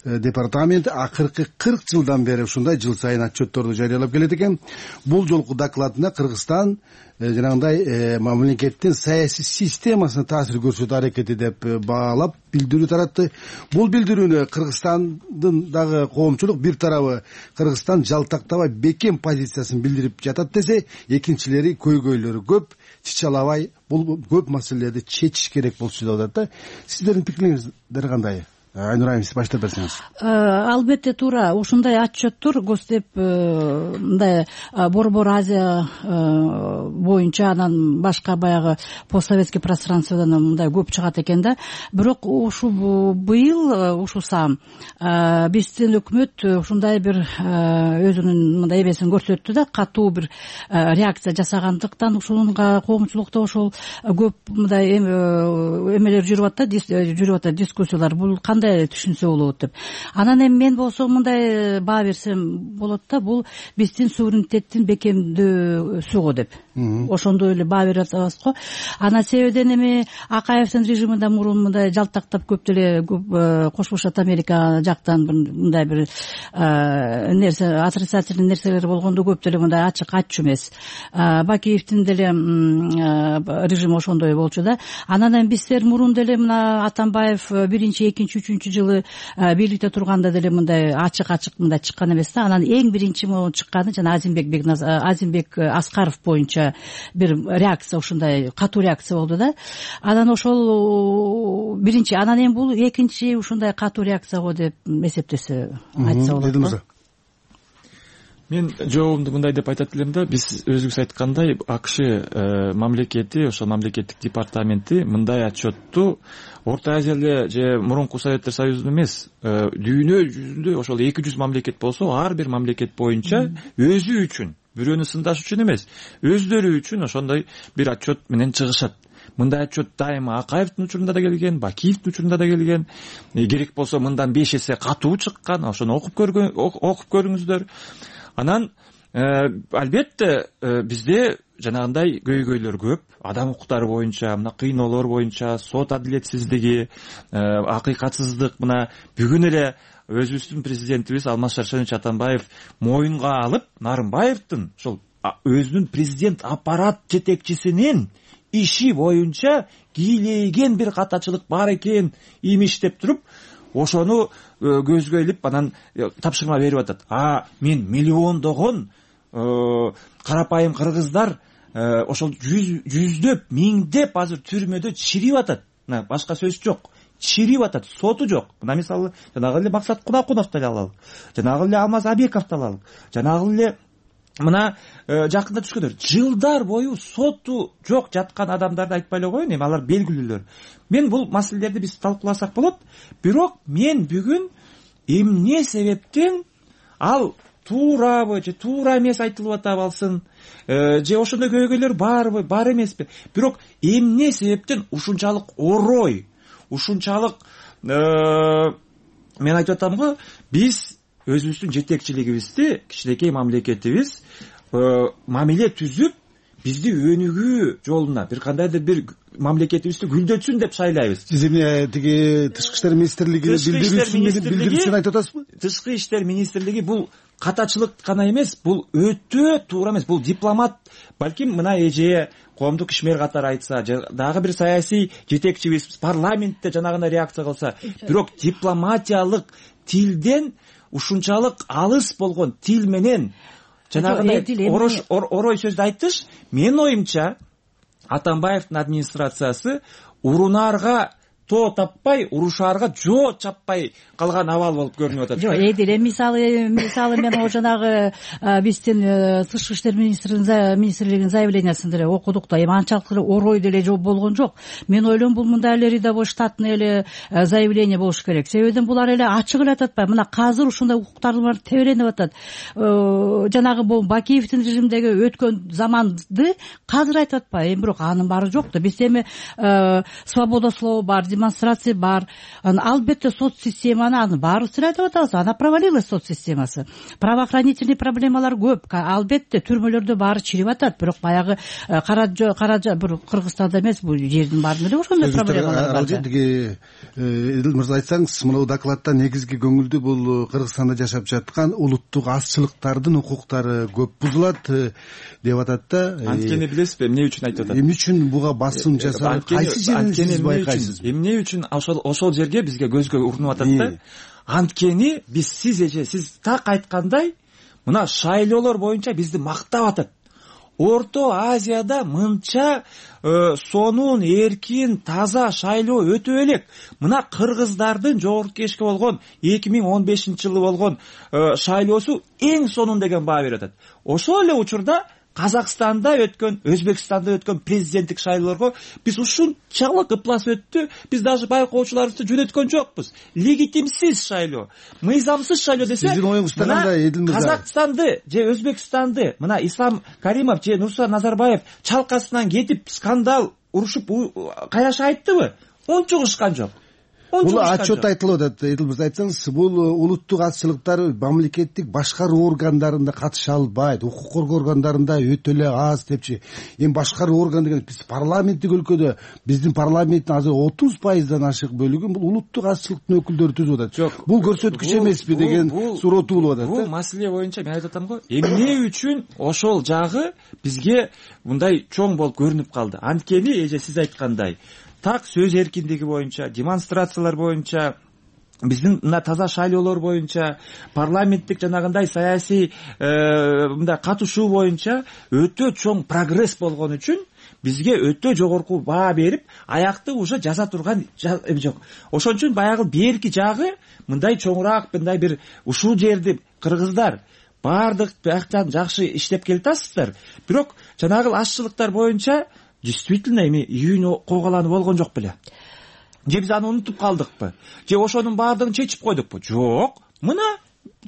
департамент акыркы кырк жылдан бери ушундай жыл сайын отчетторду жарыялап келет экен. Бул жолку докладына Кыргызстан жанагындай мамлекеттин саясий системасына таасир көрсөтүү аракети деп баалап билдирүү таратты. Бул билдирүүнү Кыргызстандын дагы коомчулук бир тарабы Кыргызстан жалтактабай бекем позициясын билдирип жатат десе, экинчилери көйгөйлөрү көп, чычалабай бул көп маселелерди чечиш керек болчу деп атат да. Сиздердин пикириңиздер кандай? Айнура айым, сиз баштап берсеңиз. Албетте туура, ушундай отчеттор Госдеп мындай Борбор Азия боюнча анан башка баягы постсоветский пространстводан мындай көп чыгат экен да. Бирок ушу быйыл ушу саам биздин өкмөт ушундай бир өзүнүн мындай эбесин көрсөттү да, катуу бир реакция жасагандыктан ушунга коомчулукта ошол көп мындай эмелер жүрүп атат, жүрүп атат дискуссиялар. Бул кандай түшүнсө болот деп. Анан эми мен болсо мындай баа берсем болот да, бул биздин суверенитеттин бекемдөөсү го деп. Ошондой эле баа берип атабыз го. Анан себебиден эми Акаевдин режиминде мурун мындай жалтактап көп деле Кошмо Штат Америка жактан мындай бир нерсе, отрицательный нерселер болгондо көп деле мындай ачык айтчу эмес. Бакиевдин деле режими ошондой болчу да. Анан эми биздер мурун деле мына Атамбаев биринчи, экинчи, үчүнчү жылы бийликте турганда деле мындай ачык-ачык мындай чыккан эмес да. Анан эң биринчи могу чыкканы жана Азимбек Азимбек Аскаров боюнча бир реакция, ушундай катуу реакция болду да. Анан ошол биринчи, анан эми бул экинчи ушундай катуу реакция го деп эсептесе айтса болот. Мен жообумду мындай деп айтат элем да, биз өзүбүз айткандай АКШ мамлекети, ошол мамлекеттик департаменти мындай отчетту Орто Азияда же мурунку Советтер Союзунун эмес, дүйнө жүзүндө ошол эки жүз мамлекет болсо, ар бир мамлекет боюнча өзү үчүн, бирөөнү сындаш үчүн эмес, өздөрү үчүн ошондой бир отчет менен чыгышат. Мындай отчет дайыма Акаевдин учурунда да келген, Бакиевдин учурунда да келген. Керек болсо мындан беш эсе катуу чыккан, ошону окуп көргөн, окуп көрүңүздөр. Анан албетте бизде жанагындай көйгөйлөр көп, адам укуктары боюнча, мына кыйноолор боюнча, сот адилетсиздиги, акыйкатсыздык. Мына бүгүн эле өзүбүздүн президентибиз Алмаз Шаршенович Атамбаев моюнга алып, Нарымбаевдин ошол өзүнүн президент аппарат жетекчисинин иши боюнча кийлеген бир катачылык бар экен имиш деп туруп, ошону көзгө илип анан тапшырма берип атат. А мен миллиондогон карапайым кыргыздар ошол жүздөп, миңдеп азыр түрмөдө чирип атат. Башка сөз жок. Чирип атат, соту жок. Мына мисалы жанагы эле Максат Кунакуновду алалы, жанагы эле Алмаз Абековду алалы, жанагы эле мына жакында түшкөндөр жылдар бою соту жок жаткан адамдарды айтпай эле коеюн, эми алар белгилүүлөр. Мен бул маселелерди биз талкууласак болот. Бирок мен бүгүн эмне себептен ал туурабы же туура эмес айтылып атабы алсын, же ошондой көйгөйлөр барбы, бар эмеспи? Бирок эмне себептен ушунчалык орой, ушунчалык мен айтып атам го, биз өзүбүздүн жетекчилигибизди, кичинекей мамлекетибиз мамиле түзүп, бизди өнүгүү жолуна, бир кандайдыр бир мамлекетибизди гүлдөтсүн деп шайлайбыз. Сиз эмне тиги Тышкы иштер министрлиги билдирүүсүн айтып атасызбы? Тышкы иштер министрлиги бул катачылык гана эмес, бул өтө туура эмес, бул дипломат, балким мына эже коомдук ишмер катары айтса, дагы бир саясий жетекчибиз парламентте жанагындай реакция кылса, бирок дипломатиялык тилден ушунчалык алыс болгон тил менен жанагындай орой сөздү айтыш, менин оюмча Атамбаевдин администрациясы урунарга тоо таппай урушаарга жоо чаппай калган абал болуп көрүнүп атат. Жок, Эдил, эми мисалы мисалы мен о жанагы биздин тышкы иштер министрлигинин заявлениясын деле окудук да, эми анчалык эле орой деле жок болгон жок. Мен ойлойм бул мындай эле рядовой штатный эле заявление болуш керек. Себебиден булар эле ачык эле айтып атпайбы, мына азыр ушундай укуктар бар тебеленип атат. Жанагы бул Бакиевдин режимдеги өткөн заманды азыр айтып атпайбы, эми бирок анын баары жок да. Бизде эми свобода слова бар, демонстрация бар. Албетте соц системаны анын баарыбыз айтып атабыз, ана провалилась соц системасы. Правоохранительный проблемалар көп. Албетте түрмөлөрдө баары чирип атат, бирок баягы кара кара бир Кыргызстанда эмес, бул жердин баарында эле ошондой проблемалар бар. Тиги Эдил мырза, айтсаңыз, мына докладда негизги көңүлдүү бул Кыргызстанда жашап жаткан улуттук азчылыктардын укуктары көп бузулат деп атат да. Анткени билесизби, эмне үчүн айтып атат? Эмне үчүн буга басым жасалат? Кайсы жерин сиз байкайсыз? Эмне үчүн ошол ошол жерге бизге көзгө урунуп атат да? Анткени биз сиз эже сиз так айткандай, мына шайлоолор боюнча бизди мактап атат. Орто Азияда мынча сонун, эркин, таза шайлоо өтө элек. Мына кыргыздардын жогорку кеңешке болгон эки миң он бешинчи жылы болгон шайлоосу эң сонун деген баа берип атат. Ошол эле учурда Казакстанда өткөн, Өзбекстанда өткөн президенттик шайлоолорго биз ушунчалык ыплас өттү, биз даже байкоочуларыбызды жөнөткөн жокпуз. Легитимсиз шайлоо, мыйзамсыз шайлоо десе, сиздин оюңузда кандай, Эдил мырза? Казакстанды же Өзбекстанды мына Ислам Каримов же Нурсултан Назарбаев чалкасынан кетип скандал урушуп кайраша айттыбы? Ончугушкан жок. Бул отчет айтылып атат. Эдил мырза, айтсаңыз, бул улуттук азчылыктар мамлекеттик башкаруу органдарында катыша албайт, укук коргоо органдарында өтө эле аз депчи. Эми башкаруу орган деген биз парламенттик өлкөдө, биздин парламенттин азыр отуз пайыздан ашык бөлүгүн бул улуттук азчылыктын өкүлдөрү түзүп атат. Жок, бул көрсөткүч эмеспи деген суроо туулуп атат. Бул маселе боюнча мен айтып атам го, эмне үчүн ошол жагы бизге мындай чоң болуп көрүнүп калды? Анткени эже сиз айткандай, так сөз эркиндиги боюнча, демонстрациялар боюнча, биздин мына таза шайлоолор боюнча, парламенттик жанагындай саясий мындай катышуу боюнча өтө чоң прогресс болгон үчүн бизге өтө жогорку баа берип, аякты уже жаза турган эми жок. Ошон үчүн баягы берки жагы мындай чоңураак, мындай бир ушул жерди кыргыздар баардык бияктан жакшы иштеп келатасыздар. Бирок жанагы азчылыктар боюнча действительно эми июнь койгуланып болгон жок беле? Же биз аны унутуп калдыкпы? Же ошонун баардыгын чечип койдукпу? Жок. Мына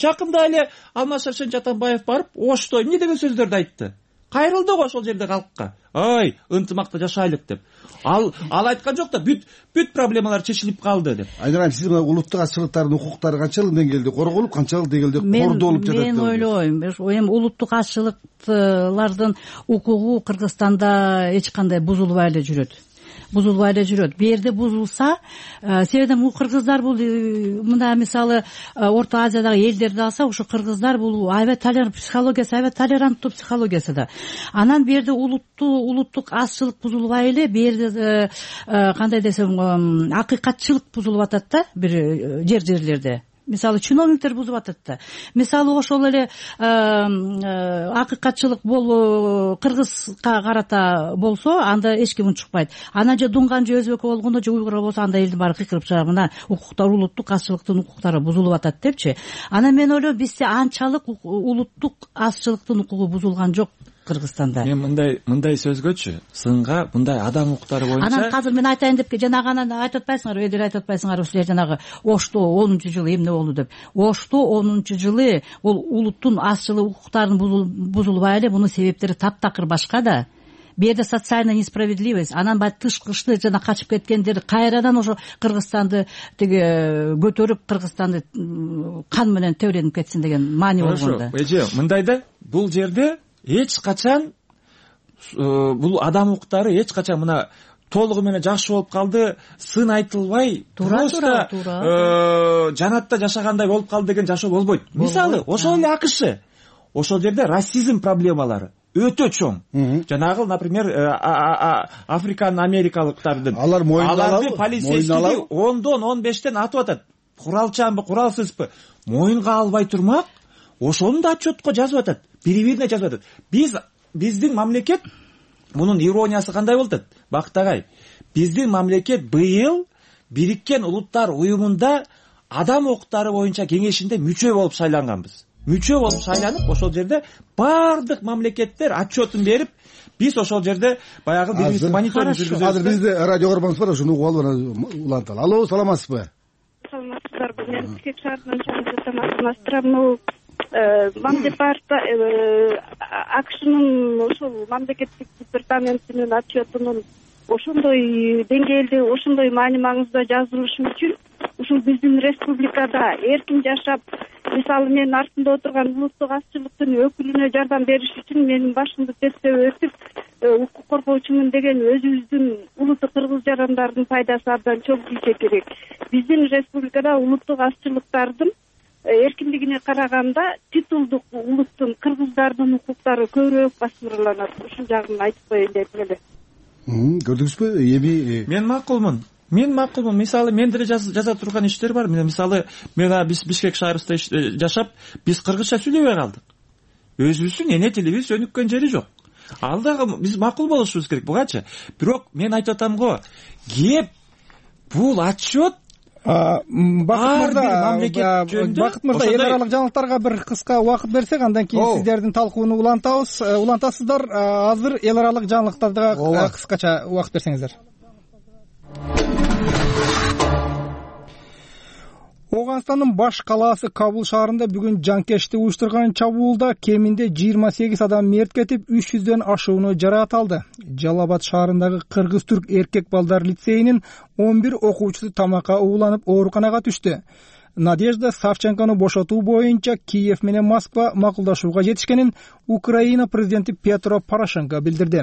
жакында эле Алмаз Шаршен Жатанбаев барып, Ошто эмне деген сөздөрдү айтты? Кайрылды го ошол жерде калкка. Ой, ынтымакта жашайлык деп. Ал ал айткан жок да, бүт бүт проблемалар чечилип калды деп. Айнурайым, сиз мына улуттук азчылыктардын укуктары канчалык деңгээлде корголуп, канчалык деңгээлде кордолуп жатат деп? Мен ойлойм, эми улуттук азчылыктардын укугу Кыргызстанда эч кандай бузулбай эле жүрөт. Бузулбай эле жүрөт. Бу жерде бузулса, себебен бул кыргыздар бул мына мисалы Орто Азиядагы элдерди алса, ушу кыргыздар бул аябай толерант психологиясы, аябай толеранттуу психологиясы да. Анан бу жерде улуттуу улуттук азчылык бузулбай эле, бу жерде кандай десем, акыйкатчылык бузулуп атат да бир жер-жерлерде. Мисалы чиновниктер бузуп атат да. Мисалы ошол эле акыйкатчылык болуу кыргызга карата болсо, анда эч ким унчукпайт. Анан же дунган же өзбек болгондо же уйгур болсо, анда элдин баары кыйкырып чыгат. Мына укуктар, улуттук азчылыктын укуктары бузулуп атат депчи. Анан мен ойлойм, бизде анчалык улуттук азчылыктын укугу бузулган жок Кыргызстанда. Мен мындай мындай сөзгөчү, сынга мындай адам укуктары боюнча. Анан азыр мен айтайын деп жанагы анан айтып атпайсыңарбы, Эдил айтып атпайсыңарбы, ушул жанагы Ошто онунчу жылы эмне болду деп. Ошто онунчу жылы бул улуттун азчылык укуктарын бузулбай эле, мунун себептери таптакыр башка да. Бу жерде социальная несправедливость, анан баягы тышкы жана качып кеткендер кайрадан ошо Кыргызстанды тиги көтөрүп, Кыргызстанды кан менен тебеленип кетсин деген маани болгон да. Эже, мындай да, бул жерде эч качан бул адам укуктары эч качан мына толугу менен жакшы болуп калды, сын айтылбай, просто жанатта жашагандай болуп калды деген жашоо болбойт. Мисалы, ошол эле АКШ, ошол жерде расизм проблемалары өтө чоң. Жанагы, например, африкан америкалыктардын алар аларды полицейский ондон он бештен атып атат. Куралчанбы, куралсызбы, моюнга албай турмак, ошону да отчетко жазып атат. Бири-бирине жазып атат. Биз биздин мамлекет, мунун ирониясы кандай болуп атат? Бактагай, биздин мамлекет быйыл Бириккен Улуттар уюмунда адам укуктары боюнча кеңешинде мүчө болуп шайланганбыз. Мүчө болуп шайланып, ошол жерде бардык мамлекеттер отчетун берип, биз ошол жерде баягы бирибизди мониторинг жүргүзөбүз. Азыр бизде радио көрбөңүз бар, ошону угуп алып уланталы. Алло, саламатсызбы? Саламатсыздарбы? Мен Тикек шаарынан чалып мамдепарта акшнын ошол мамлекеттик департаментинин отчетунун ошондой деңгээлде, ошондой маани маңызда жазылышы үчүн ушул биздин республикада эркин жашап, мисалы мен артында отурган улуттук азчылыктын өкүлүнө жардам бериш үчүн менин башымды тестеп өтүп, укук коргоочумун деген өзүбүздүн улуттук кыргыз жарандардын пайдасы абдан чоң тийсе керек. Биздин республикада улуттук азчылыктардын эркиндигине караганда титулдук улуттун кыргыздардын укуктары көбүрөөк басмырланат. Ушул жагын айтып коеюн деп эле. Көрдүңүзбү? Эми мен макулмун. Мен макулмун. Мисалы мен деле жаза турган иштер бар. Мисалы мен биз Бишкек шаарында жашап, биз кыргызча сүйлөбөй калдык. Өзүбүздүн эне тилибиз өнүккөн жери жок. Ал дагы биз макул болушубуз керек бугачы. Бирок мен айтып атам го, кеп бул отчет Бакыт мырза, эл аралык жаңылыктарга бир кыска убакыт берсек, андан кийин сиздердин талкууну улантабыз. Улантасыздар. Азыр эл аралык жаңылыктарга кыскача убакыт берсеңиздер. Ооганстандын баш калаасы Кабул шаарында бүгүн жанкечти уюштурган чабуулда кеминде жыйырма сегиз адам мерт кетип, үч жүздөн ашууну жараат алды. Жалал-Абад шаарындагы кыргыз-түрк эркек балдар лицейинин он бир окуучусу тамакка ууланып ооруканага түштү. Надежда Савченкону бошотуу боюнча Киев менен Москва макулдашууга жетишкенин Украина президенти Петро Порошенко билдирди.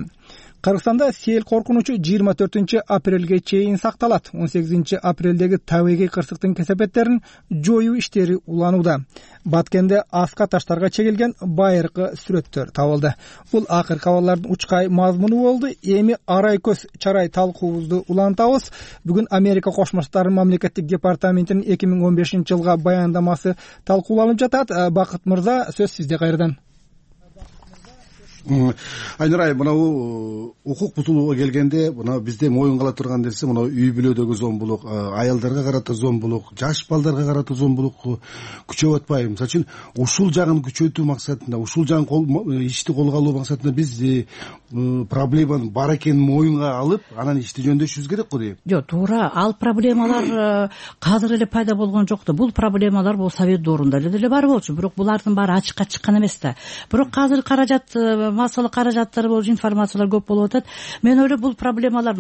Кыргызстанда сел коркунучу жыйырма төртүнчү апрелге чейин сакталат. он сегизинчи апрелдеги табигый кырсыктын кесепеттерин жоюу иштери уланууда. Баткенде аска таштарга чегилген байыркы сүрөттөр табылды. Бул акыркы кабарлардын учкай мазмуну болду. Эми арай көз чарай талкуубузду улантабыз. Бүгүн Америка Кошмо Штаттарынын мамлекеттик департаментинин эки миң он бешинчи жылга баяндамасы талкууланып жатат. Бакыт мырза, сөз сизде кайрадан. Айнурай, мынау укук бутулууга келгенде, мына бизде моюнга ала турган нерсе, мына үй бүлөдөгү зомбулук, аялдарга карата зомбулук, жаш балдарга карата зомбулук күчөп атпайбы? Мисалы үчүн, ушул жагын күчөтүү максатында, ушул жагын ишти колго алуу максатында биз проблеманын бар экенин моюнга алып, анан ишти жөндөшүбүз керек го дейм. Жок, туура. Ал проблемалар азыр эле пайда болгон жок да. Бул проблемалар бул Совет доорунда эле бар болчу, бирок булардын баары ачыкка чыккан эмес да. Бирок азыр каражат, массалык каражаттар болуп, информациялар көп болуп атат. Мен ойлойм, бул проблемалар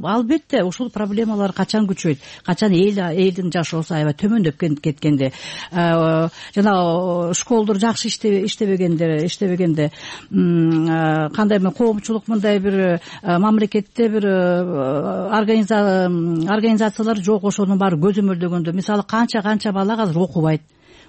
албетте ушул проблемалар качан күчөйт, качан эл элдин жашоосу аябай төмөндөп кеткенде, жана школдор жакшы иштебегенде, иштебегенде, кандай мен коомчулук мындай бир мамлекетте бир организациялар жок, ошонун баары көзөмөлдөгөндө, мисалы канча канча бала азыр окубайт.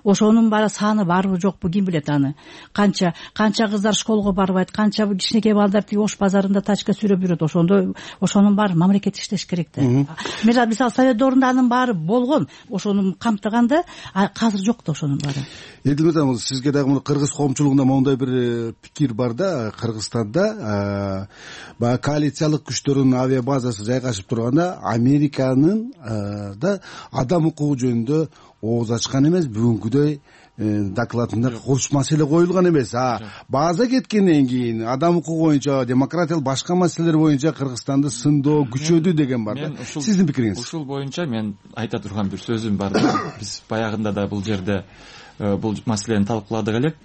Ошонун баары саны барбы жокпу ким билет аны. Канча канча кыздар школго барбайт, канча кичинекей балдар тиги Ош базарында тачка сүйрөп жүрөт. Ошондо ошонун баары мамлекет иштеш керек да. Мисалы Совет доорунда анын баары болгон, ошону камтыганда, азыр жок да ошонун баары. Эдил мырза, сизге дагы кыргыз коомчулугунда моундай бир пикир бар да, Кыргызстанда баягы коалициялык күчтөрдүн авиабазасы жайгашып турганда, Американын да адам укугу жөнүндө ооз ачкан эмес, бүгүнкүдөй докладында курч маселе коюлган эмес. А база кеткенден кийин адам укугу боюнча, демократиялык башка маселелер боюнча Кыргызстанды сындоо күчөдү деген бар да. Сиздин пикириңиз? Ушул боюнча мен айта турган бир сөзүм бар да. Биз баягында да бул жерде бул маселени талкууладык элек.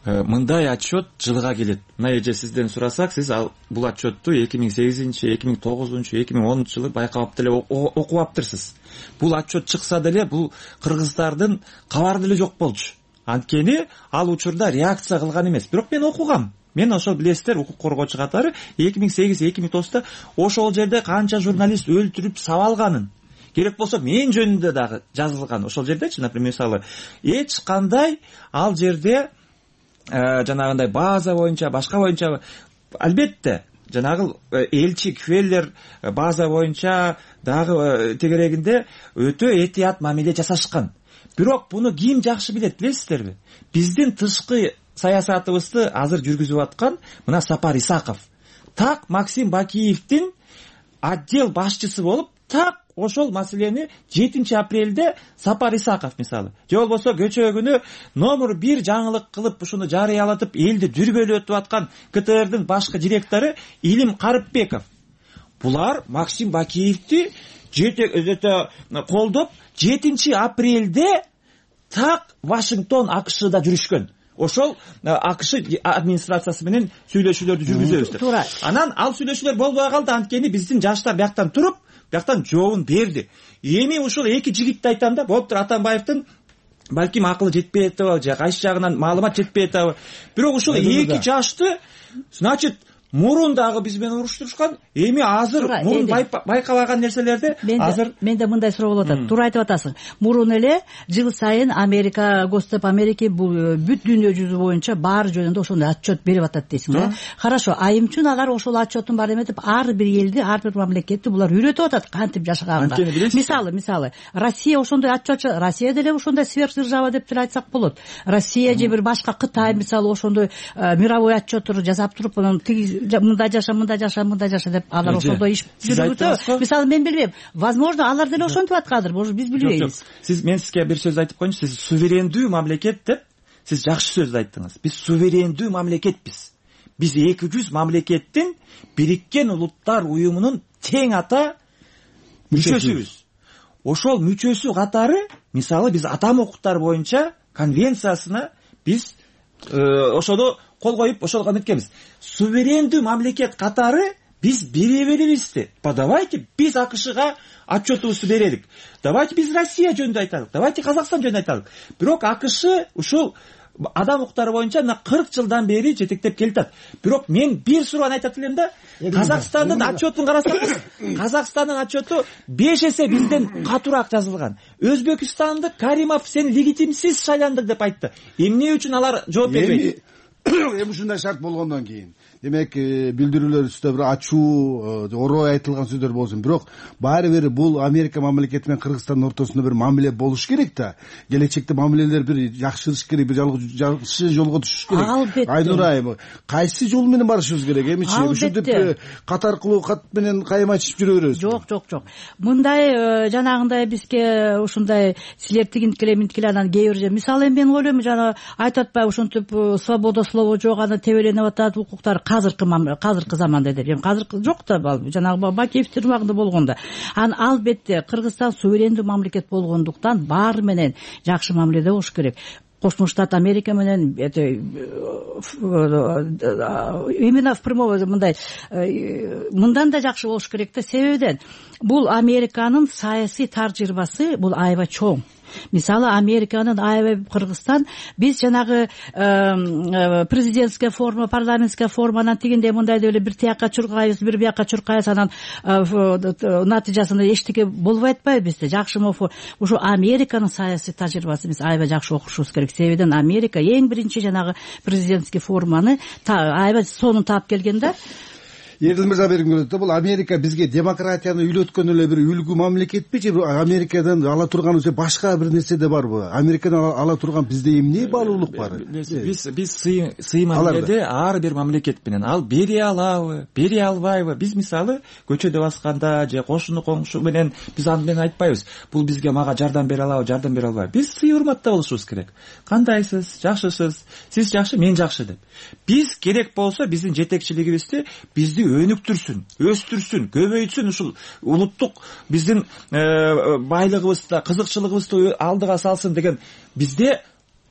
Мындай отчет жылга келет. Мына эже сизден сурасак, сиз ал бул отчетту эки миң сегизинчи, эки миң тогузунчу, эки миң онунчу жылы байкап деле окуп аптырсыз. Бул отчет чыкса деле бул кыргыздардын кабары деле жок болчу. Анткени ал учурда реакция кылган эмес. Бирок мен окугам. Мен ошол билесиздер, укук коргоочу катары эки миң сегиз эки миң тогузда ошол жерде канча журналист өлтүрүп сабалганын, керек болсо мен жөнүндө дагы жазылган. Ошол жердечи, например, мисалы, эч кандай ал жерде жанагындай база боюнча, башка боюнча, албетте жанагы элчи Квеллер база боюнча дагы тегерегинде өтө этият мамиле жасашкан. Бирок буну ким жакшы билет, билесиздерби? Биздин тышкы саясатыбызды азыр жүргүзүп аткан мына Сапар Исаков. Так Максим Бакиевдин отдел башчысы болуп, так ошол маселени жетинчи апрелде Сапар Исаков мисалы же болбосо көчө күнү номер бир жаңылык кылып ушуну жарыялатып элди дүрбөлөтүп аткан КТРдын башкы директору Илим Карыпбеков, булар Максим Бакиевди жете колдоп жетинчи апрелде так Вашингтон АКШда жүрүшкөн. Ошол АКШ администрациясы менен сүйлөшүүлөрдү жүргүзөбүз деп. Анан ал сүйлөшүүлөр болбой калды, анткени биздин жаштар бияктан туруп, бияктан жообун берди. Эми ушул эки жигитти айтам да, болуптур Атамбаевдин балким акылы жетпей атабы же кайсы жагынан маалымат жетпей атабы. Бирок ушул эки жашты, значит, мурун дагы биз менен уруштурушкан, эми азыр мурун байкабаган нерселерди азыр менде мындай суроо болуп атат. Туура айтып атасың. Мурун эле жыл сайын Америка, Госдеп Америки бул бүт дүйнө жүзү боюнча баары жөнүндө ошондой отчет берип атат дейсиң да. Хорошо, айым үчүн алар ошол отчеттун баары эметип, ар бир элди, ар бир мамлекетти булар үйрөтүп атат кантип жашаганга. Мисалы, мисалы, Россия ошондой отчет, Россия деле ошондой сверхдержава деп деле айтсак болот. Россия же бир башка Кытай мисалы ошондой мировой отчеттор жасап туруп, анан мындай жаша, мындай жаша, мындай жаша деп алар ошондой иш жүргүзөбү. Мисалы мен билбейм. Возможно, алар деле ошентип аткандыр, может биз билбейбиз. Сиз мен сизге бир сөз айтып коеюнчу. Сиз суверендүү мамлекет деп сиз жакшы сөз айттыңыз. Биз суверендүү мамлекетпиз. Биз эки жүз мамлекеттин Бириккен Улуттар уюмунун тең ата мүчөсүбүз. Ошол мүчөсү катары, мисалы биз адам укуктары боюнча конвенциясына биз ошону кол коюп ошого неткенбиз. Суверендүү мамлекет катары биз бере беребизди. Давайте биз АКШга отчетубузду берелик. Давайте биз Россия жөнүндө айтайлык. Давайте Казакстан жөнүндө айтайлык. Бирок АКШ ушул адам укуктары боюнча мына кырк жылдан бери жетектеп келатат. Бирок мен бир суроonu айтат элем да. Казакстандын отчетун карасаңыз, Казакстандын отчету беш эсе бизден катуураак жазылган. Өзбекстандык Каримов сен легитимсиз шайландың деп айтты. Эмне үчүн алар жооп бербейт? Эми ушундай шарт болгондон кийин демек билдирүүлөр үстүндө бир ачуу орой айтылган сөздөр болсун, бирок баары бир бул Америка мамлекети менен Кыргызстандын ортосунда бир мамиле болуш керек да. Келечекте мамилелер бир жакшырыш керек, бир жакшы жолго түшүш керек. Албетте. Айнура айым, кайсы жол менен барышыбыз керек? Эмичи ушинтип кат аркылуу кат менен кайым айтышып жүрө беребиз? Жок, жок, жок. Мындай жанагындай бизге ушундай силер тигинткиле минткиле анан кээ бир мисалы мен ойлойм жана айтып атпайбы ушинтип свобода слова жок, аны тебеленип атат укуктар азыркы азыркы заманда деп. Азыркы жок да, жанагы Бакиевдин убагында болгондо. Анан албетте Кыргызстан суверендүү мамлекет болгондуктан баары менен жакшы мамиледе болуш керек. Кошмо Штат Америка менен именно в прямой мындай мындан да жакшы болуш керек да. Себебиден бул Американын саясий тажрыйбасы бул аябай чоң. Мисалы Американын аябай Кыргызстан биз жанагы президентская форма, парламентская форманан тигиндей мындай деле бир тияка чуркайбыз, бир бияка чуркайбыз, анан натыйжасында эчтеке болбой атпайбы бизде. Жакшы ушу Американын саясий тажрыйбасы биз аябай жакшы окушубуз керек. Себебиден Америка эң биринчи жанагы президентский форманы аябай сонун таап келген да. Эрдил мырза бергим келет да, бул Америка бизге демократияны үйлөткөн эле бир үлгү мамлекетпи же Америкадан ала турган же башка бир нерсе да барбы? Америкадан ала турган бизде эмне баалуулук бар? Биз биз сый мамиледе ар бир мамлекет менен ал бере алабы, бере албайбы? Биз мисалы көчөдө басканда же кошуну коңшу менен биз аны менен айтпайбыз. Бул бизге мага жардам бере алабы, жардам бере албайбы? Биз сый урматта болушубуз керек. Кандайсыз? Жакшысыз? Сиз жакшы, мен жакшы деп. Биз керек болсо биздин жетекчилигибизди бизди өнүктүрсүн, өстүрсүн, көбөйтсүн, ушул улуттук биздин байлыгыбызды, кызыкчылыгыбызды алдыга салсын деген бизде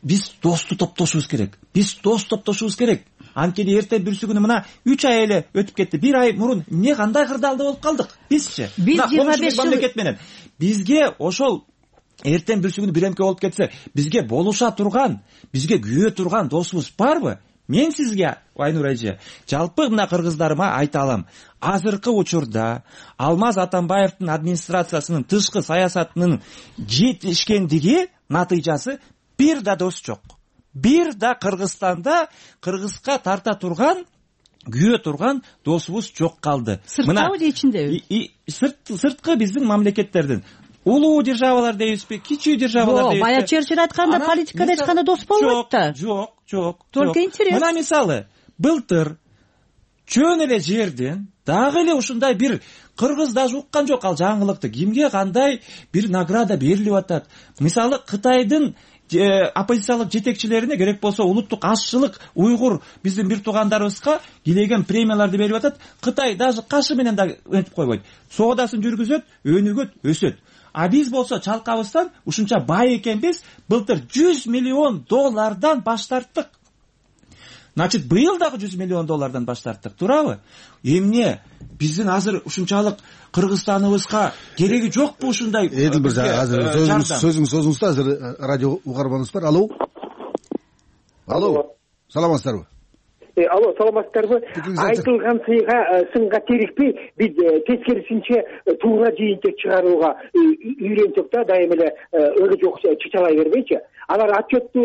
биз досту топтошубуз керек. Биз дос топтошубуз керек. Анткени эртең бүрсү күнү мына үч ай эле өтүп кетти. бир ай мурун эмне кандай кырдаалда болуп калдык бизчи? Мына жыйырма беш мамлекет менен бизге ошол эртең бүрсү күнү биремке болуп кетсе, бизге болуша турган, бизге күйө турган досубуз барбы? Мен сизге, Айнур эже, жалпы мына кыргыздарыма айта алам. Азыркы учурда Алмаз Атамбаевдин администрациясынын тышкы саясатынын жетишкендиги натыйжасы бир да дос жок. Бир да Кыргызстанда кыргызга тарта турган, күйө турган досубуз жок калды. Сырткабы же ичиндеби? Сырткы биздин мамлекеттердин. Улуу державалар дейбизби, кичүү державалар дейбизби? Жок, бая Черчилль айтканда политикада эч кандай дос болбойт да. Жок, жок, жок. Только интерес. Мына мисалы, былтыр чөөн эле жерден дагы эле ушундай бир кыргыз даже уккан жок ал жаңылыкты, кимге кандай бир награда берилип атат. Мисалы Кытайдын оппозициялык жетекчилерине керек болсо улуттук азчылык уйгур биздин бир туугандарыбызга килеген премияларды берип атат. Кытай даже кашы менен да этип койбойт. Соодасын жүргүзөт, өнүгөт, өсөт. А биз болсо чалкабыздан ушунча бай экенбиз, былтыр жүз миллион доллардан баш тарттык. Значит, быйыл дагы жүз миллион доллардан баш тарттык, туурабы? Эмне биздин азыр ушунчалык Кыргызстаныбызга кереги жокпу ушундай? Эдил мырза, азыр сөзүңүз созуңуз да, азыр радио угарманыбыз бар. Алло. Алло. Саламатсыздарбы? Алло, саламатсыздарбы? Айтылган сыйга сынга терикпей, биз тескерисинче туура жыйынтык чыгарууга үйрөнсөк да, дайым эле өлө жок чычалай бербейчи. Алар отчетту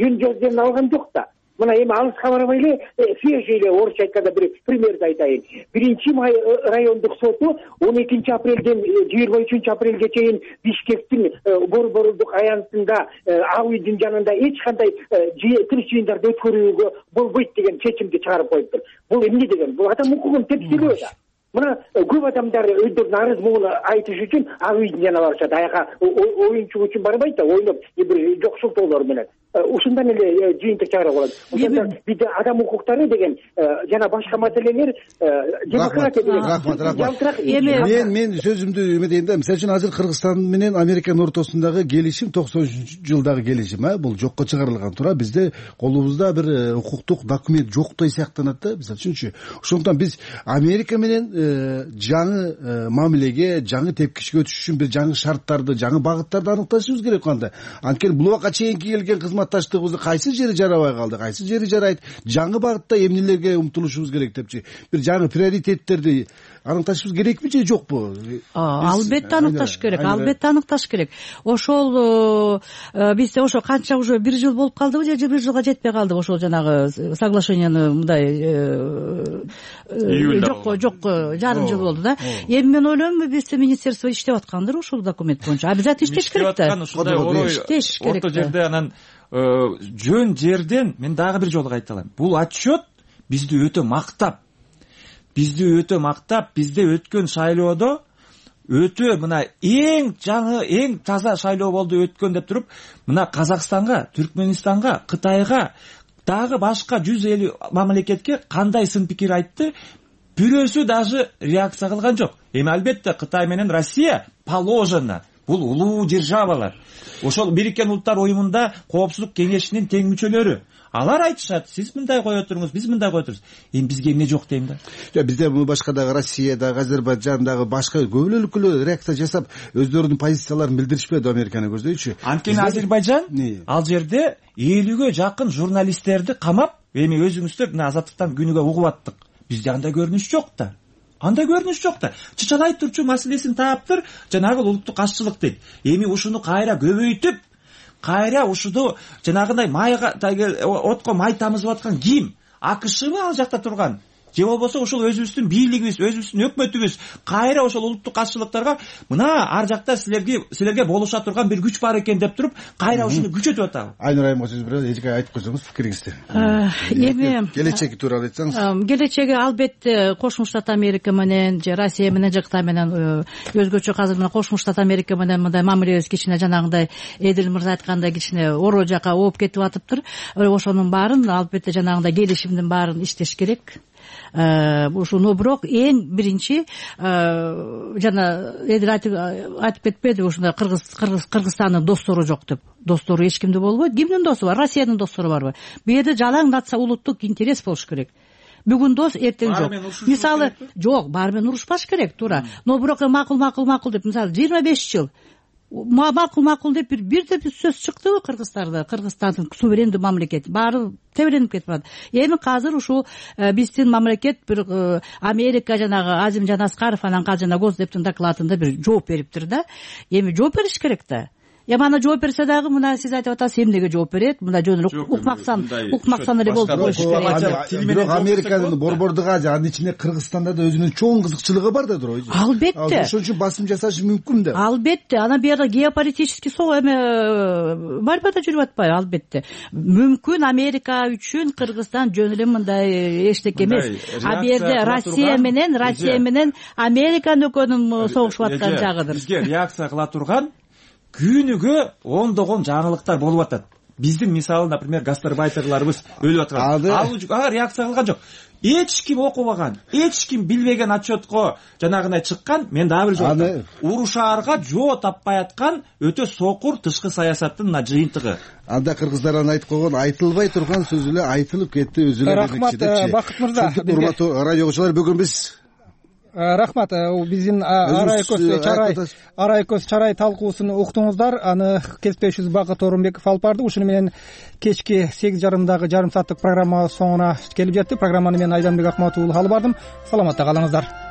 жөн жолдон алган жок да. Мына эми алыска барбай эле свежий эле орусча айтканда бир примерди айтайын. Биринчи май райондук соту он экинчи апрелден жыйырма үчүнчү апрелге чейин Бишкектин борборундук аянтында ак үйдүн жанында эч кандай тыныч жыйындарды өткөрүүгө болбойт деген чечимди чыгарып коюптур. Бул эмне деген? Бул адам укугун тепселөө да. Мына көп адамдар өздөрүнүн арыз муун айтыш үчүн ак үйдүн жанына барышат. Аяка оюнчук үчүн барбайт да, ойноп бир жокшултоолор менен. Ушундан эле жыйынтык чыгарып алат. Ошондо бизде адам укуктары деген жана башка маселелер демократия деген. Рахмат, рахмат. Мен мен сөзүмдү эметейин да. Мисалы үчүн азыр Кыргызстан менен Американын ортосундагы келишим токсон үчүнчү жылдагы келишим, а бул жокко чыгарылган туура. Бизде колубузда бир укуктук документ жоктой сыяктанат да, мисалы үчүнчү. Ошондуктан биз Америка менен жаңы мамилеге, жаңы тепкичке өтүш үчүн бир жаңы шарттарды, жаңы багыттарды аныкташыбыз керек кандай. Анткени бул убакка чейинки келген кызматташтыгыбызды кайсы жери жарабай калды, кайсы жери жарайт, жаңы багытта эмнелерге умтулушубуз керек депчи. Бир жаңы приоритеттерди аныкташыбыз керекпи же жокпу? Албетте аныкташ керек, албетте аныкташ керек. Ошол бизде ошо канча уже бир жыл болуп калдыбы же бир жылга жетпей калдыбы ошол жанагы соглашенияны мындай жокко жокко жарым жыл болду да. Эми мен ойлойм, бизде министерство иштеп аткандыр ушул документ боюнча. Обязательно иштеш керек да. Ушундай орто жерде анан жөн жерден мен дагы бир жолу кайталайм. Бул отчет бизди өтө мактап, бизди өтө мактап, бизде өткөн шайлоодо өтө мына эң жаңы, эң таза шайлоо болду өткөн деп туруп, мына Казакстанга, Түркменистанга, Кытайга, дагы башка жүз элүү мамлекетке кандай сын пикир айтты, бирөөсү даже реакция кылган жок. Эми албетте Кытай менен Россия положено, бул улуу державалар. Ошол Бириккен Улуттар уюмунда Коопсуздук кеңешинин тең мүчөлөрү. Алар айтышат, сиз мындай кое туруңуз, биз мындай кое турубуз. Эми бизге эмне жок дейм да? Жок, бизде башкадагы Россиядагы, Азербайжандагы башка көп өлкөлөр реакция жасап, өздөрүнүн позицияларын билдиришпеди Американы көздөйчү. Анткени Азербайжан ал жерде элүүгө жакын журналисттерди камап, эми өзүңүздөр мына Азаттыктан күнүгө угуп аттык. Бизде андай көрүнүш жок да. Андай көрүнүш жок да. Чычалай турчу маселесин таптыр, жанагы улуттук азчылык дейт. Эми ушуну кайра көбөйтүп, кайра ушуну жанагындай майга отко май тамызып аткан ким? АКШбы ал жакта турган? Же болбосо ошол өзүбүздүн бийлигибиз, өзүбүздүн өкмөтүбүз кайра ошол улуттук азчылыктарга мына ар жакта силерге силерге болуша турган бир күч бар экен деп туруп, кайра ушуну күчөтүп атабы? Айнур айымга сөз беребиз, эжеке айтып койсоңуз пикириңизди. Эми келечеги тууралуу айтсаңыз. Келечеги албетте Кошмо Штат Америка менен же Россия менен же Кытай менен өзгөчө азыр мына Кошмо Штат Америка менен мындай мамилебиз кичине жанагындай Эдил мырза айткандай кичине ороо жака ооп кетип атыптыр. Ошонун баарын албетте жанагындай келишимдин баарын иштеш керек. Ушуну бирок эң биринчи жана Эдил айтып кетпеди, ушундай Кыргыз Кыргызстандын достору жок деп. Достору эч кимде болбойт. Кимдин досу бар? Россиянын достору барбы? Бу жерде жалаң нация улуттук интерес болуш керек. Бүгүн дос, эртең жок. Мисалы, жок, баары менен урушпаш керек, туура. Но бирок макул, макул, макул деп, мисалы, жыйырма беш жыл макул макул деп бир бирде бир сөз чыктыбы Кыргызстанда? Кыргызстандын суверендүү мамлекет баары тебеленип кетип атат. Эми азыр ушул биздин мамлекет бир Америка жанагы Азим Жанаскаров анан казыр жана Госдептин докладында бир жооп бериптир да. Эми жооп бериш керек да. эми аны жооп берсе дагы мына сиз айтып атасыз эмнеге жооп берет, мындай жөн эле укмаксан укмаксан эле болуп коюш керек. Бирок Американын Борбордук Азия, анын ичинде Кыргызстанда да өзүнүн чоң кызыкчылыгы бар да туурабы? Албетте. Ошон үчүн басым жасашы мүмкүн да. Албетте. Анан бу жерде геополитический эме борьба да жүрүп атпайбы? Албетте. Мүмкүн Америка үчүн Кыргызстан жөн эле мындай эчтеке эмес. А бу жерде Россия менен Россия менен Американын экөөнүн согушуп аткан жагыдыр. Бизге реакция кыла турган күнүгө ондогон жаңылыктар болуп атат. Биздин мисалы, например, гастарбайтерларыбыз өлүп аткан. Ага реакция кылган жок. Эч ким окубаган, эч ким билбеген отчетко жанагындай чыккан, мен дагы бир жолу урушаарга жоо таппай аткан өтө сокур тышкы саясаттын мына жыйынтыгы. Анда кыргыздар аны айтып койгон, айтылбай турган сөз эле айтылып кетти өзү эле. Рахмат, Бакыт мырза. Урматтуу радио окуучулар, бүгүн биз рахмат, биздин Арайкөз чарай Арайкөз чарай талкуусун уктуңуздар. Аны кесиптешибиз Бакыт Орунбеков алып барды. Ушуну менен кечки сегиз жарымдагы жарым сааттык программа соңуна келип жетти. Программаны мен Айданбек Акматов алып бардым. Саламатта калыңыздар.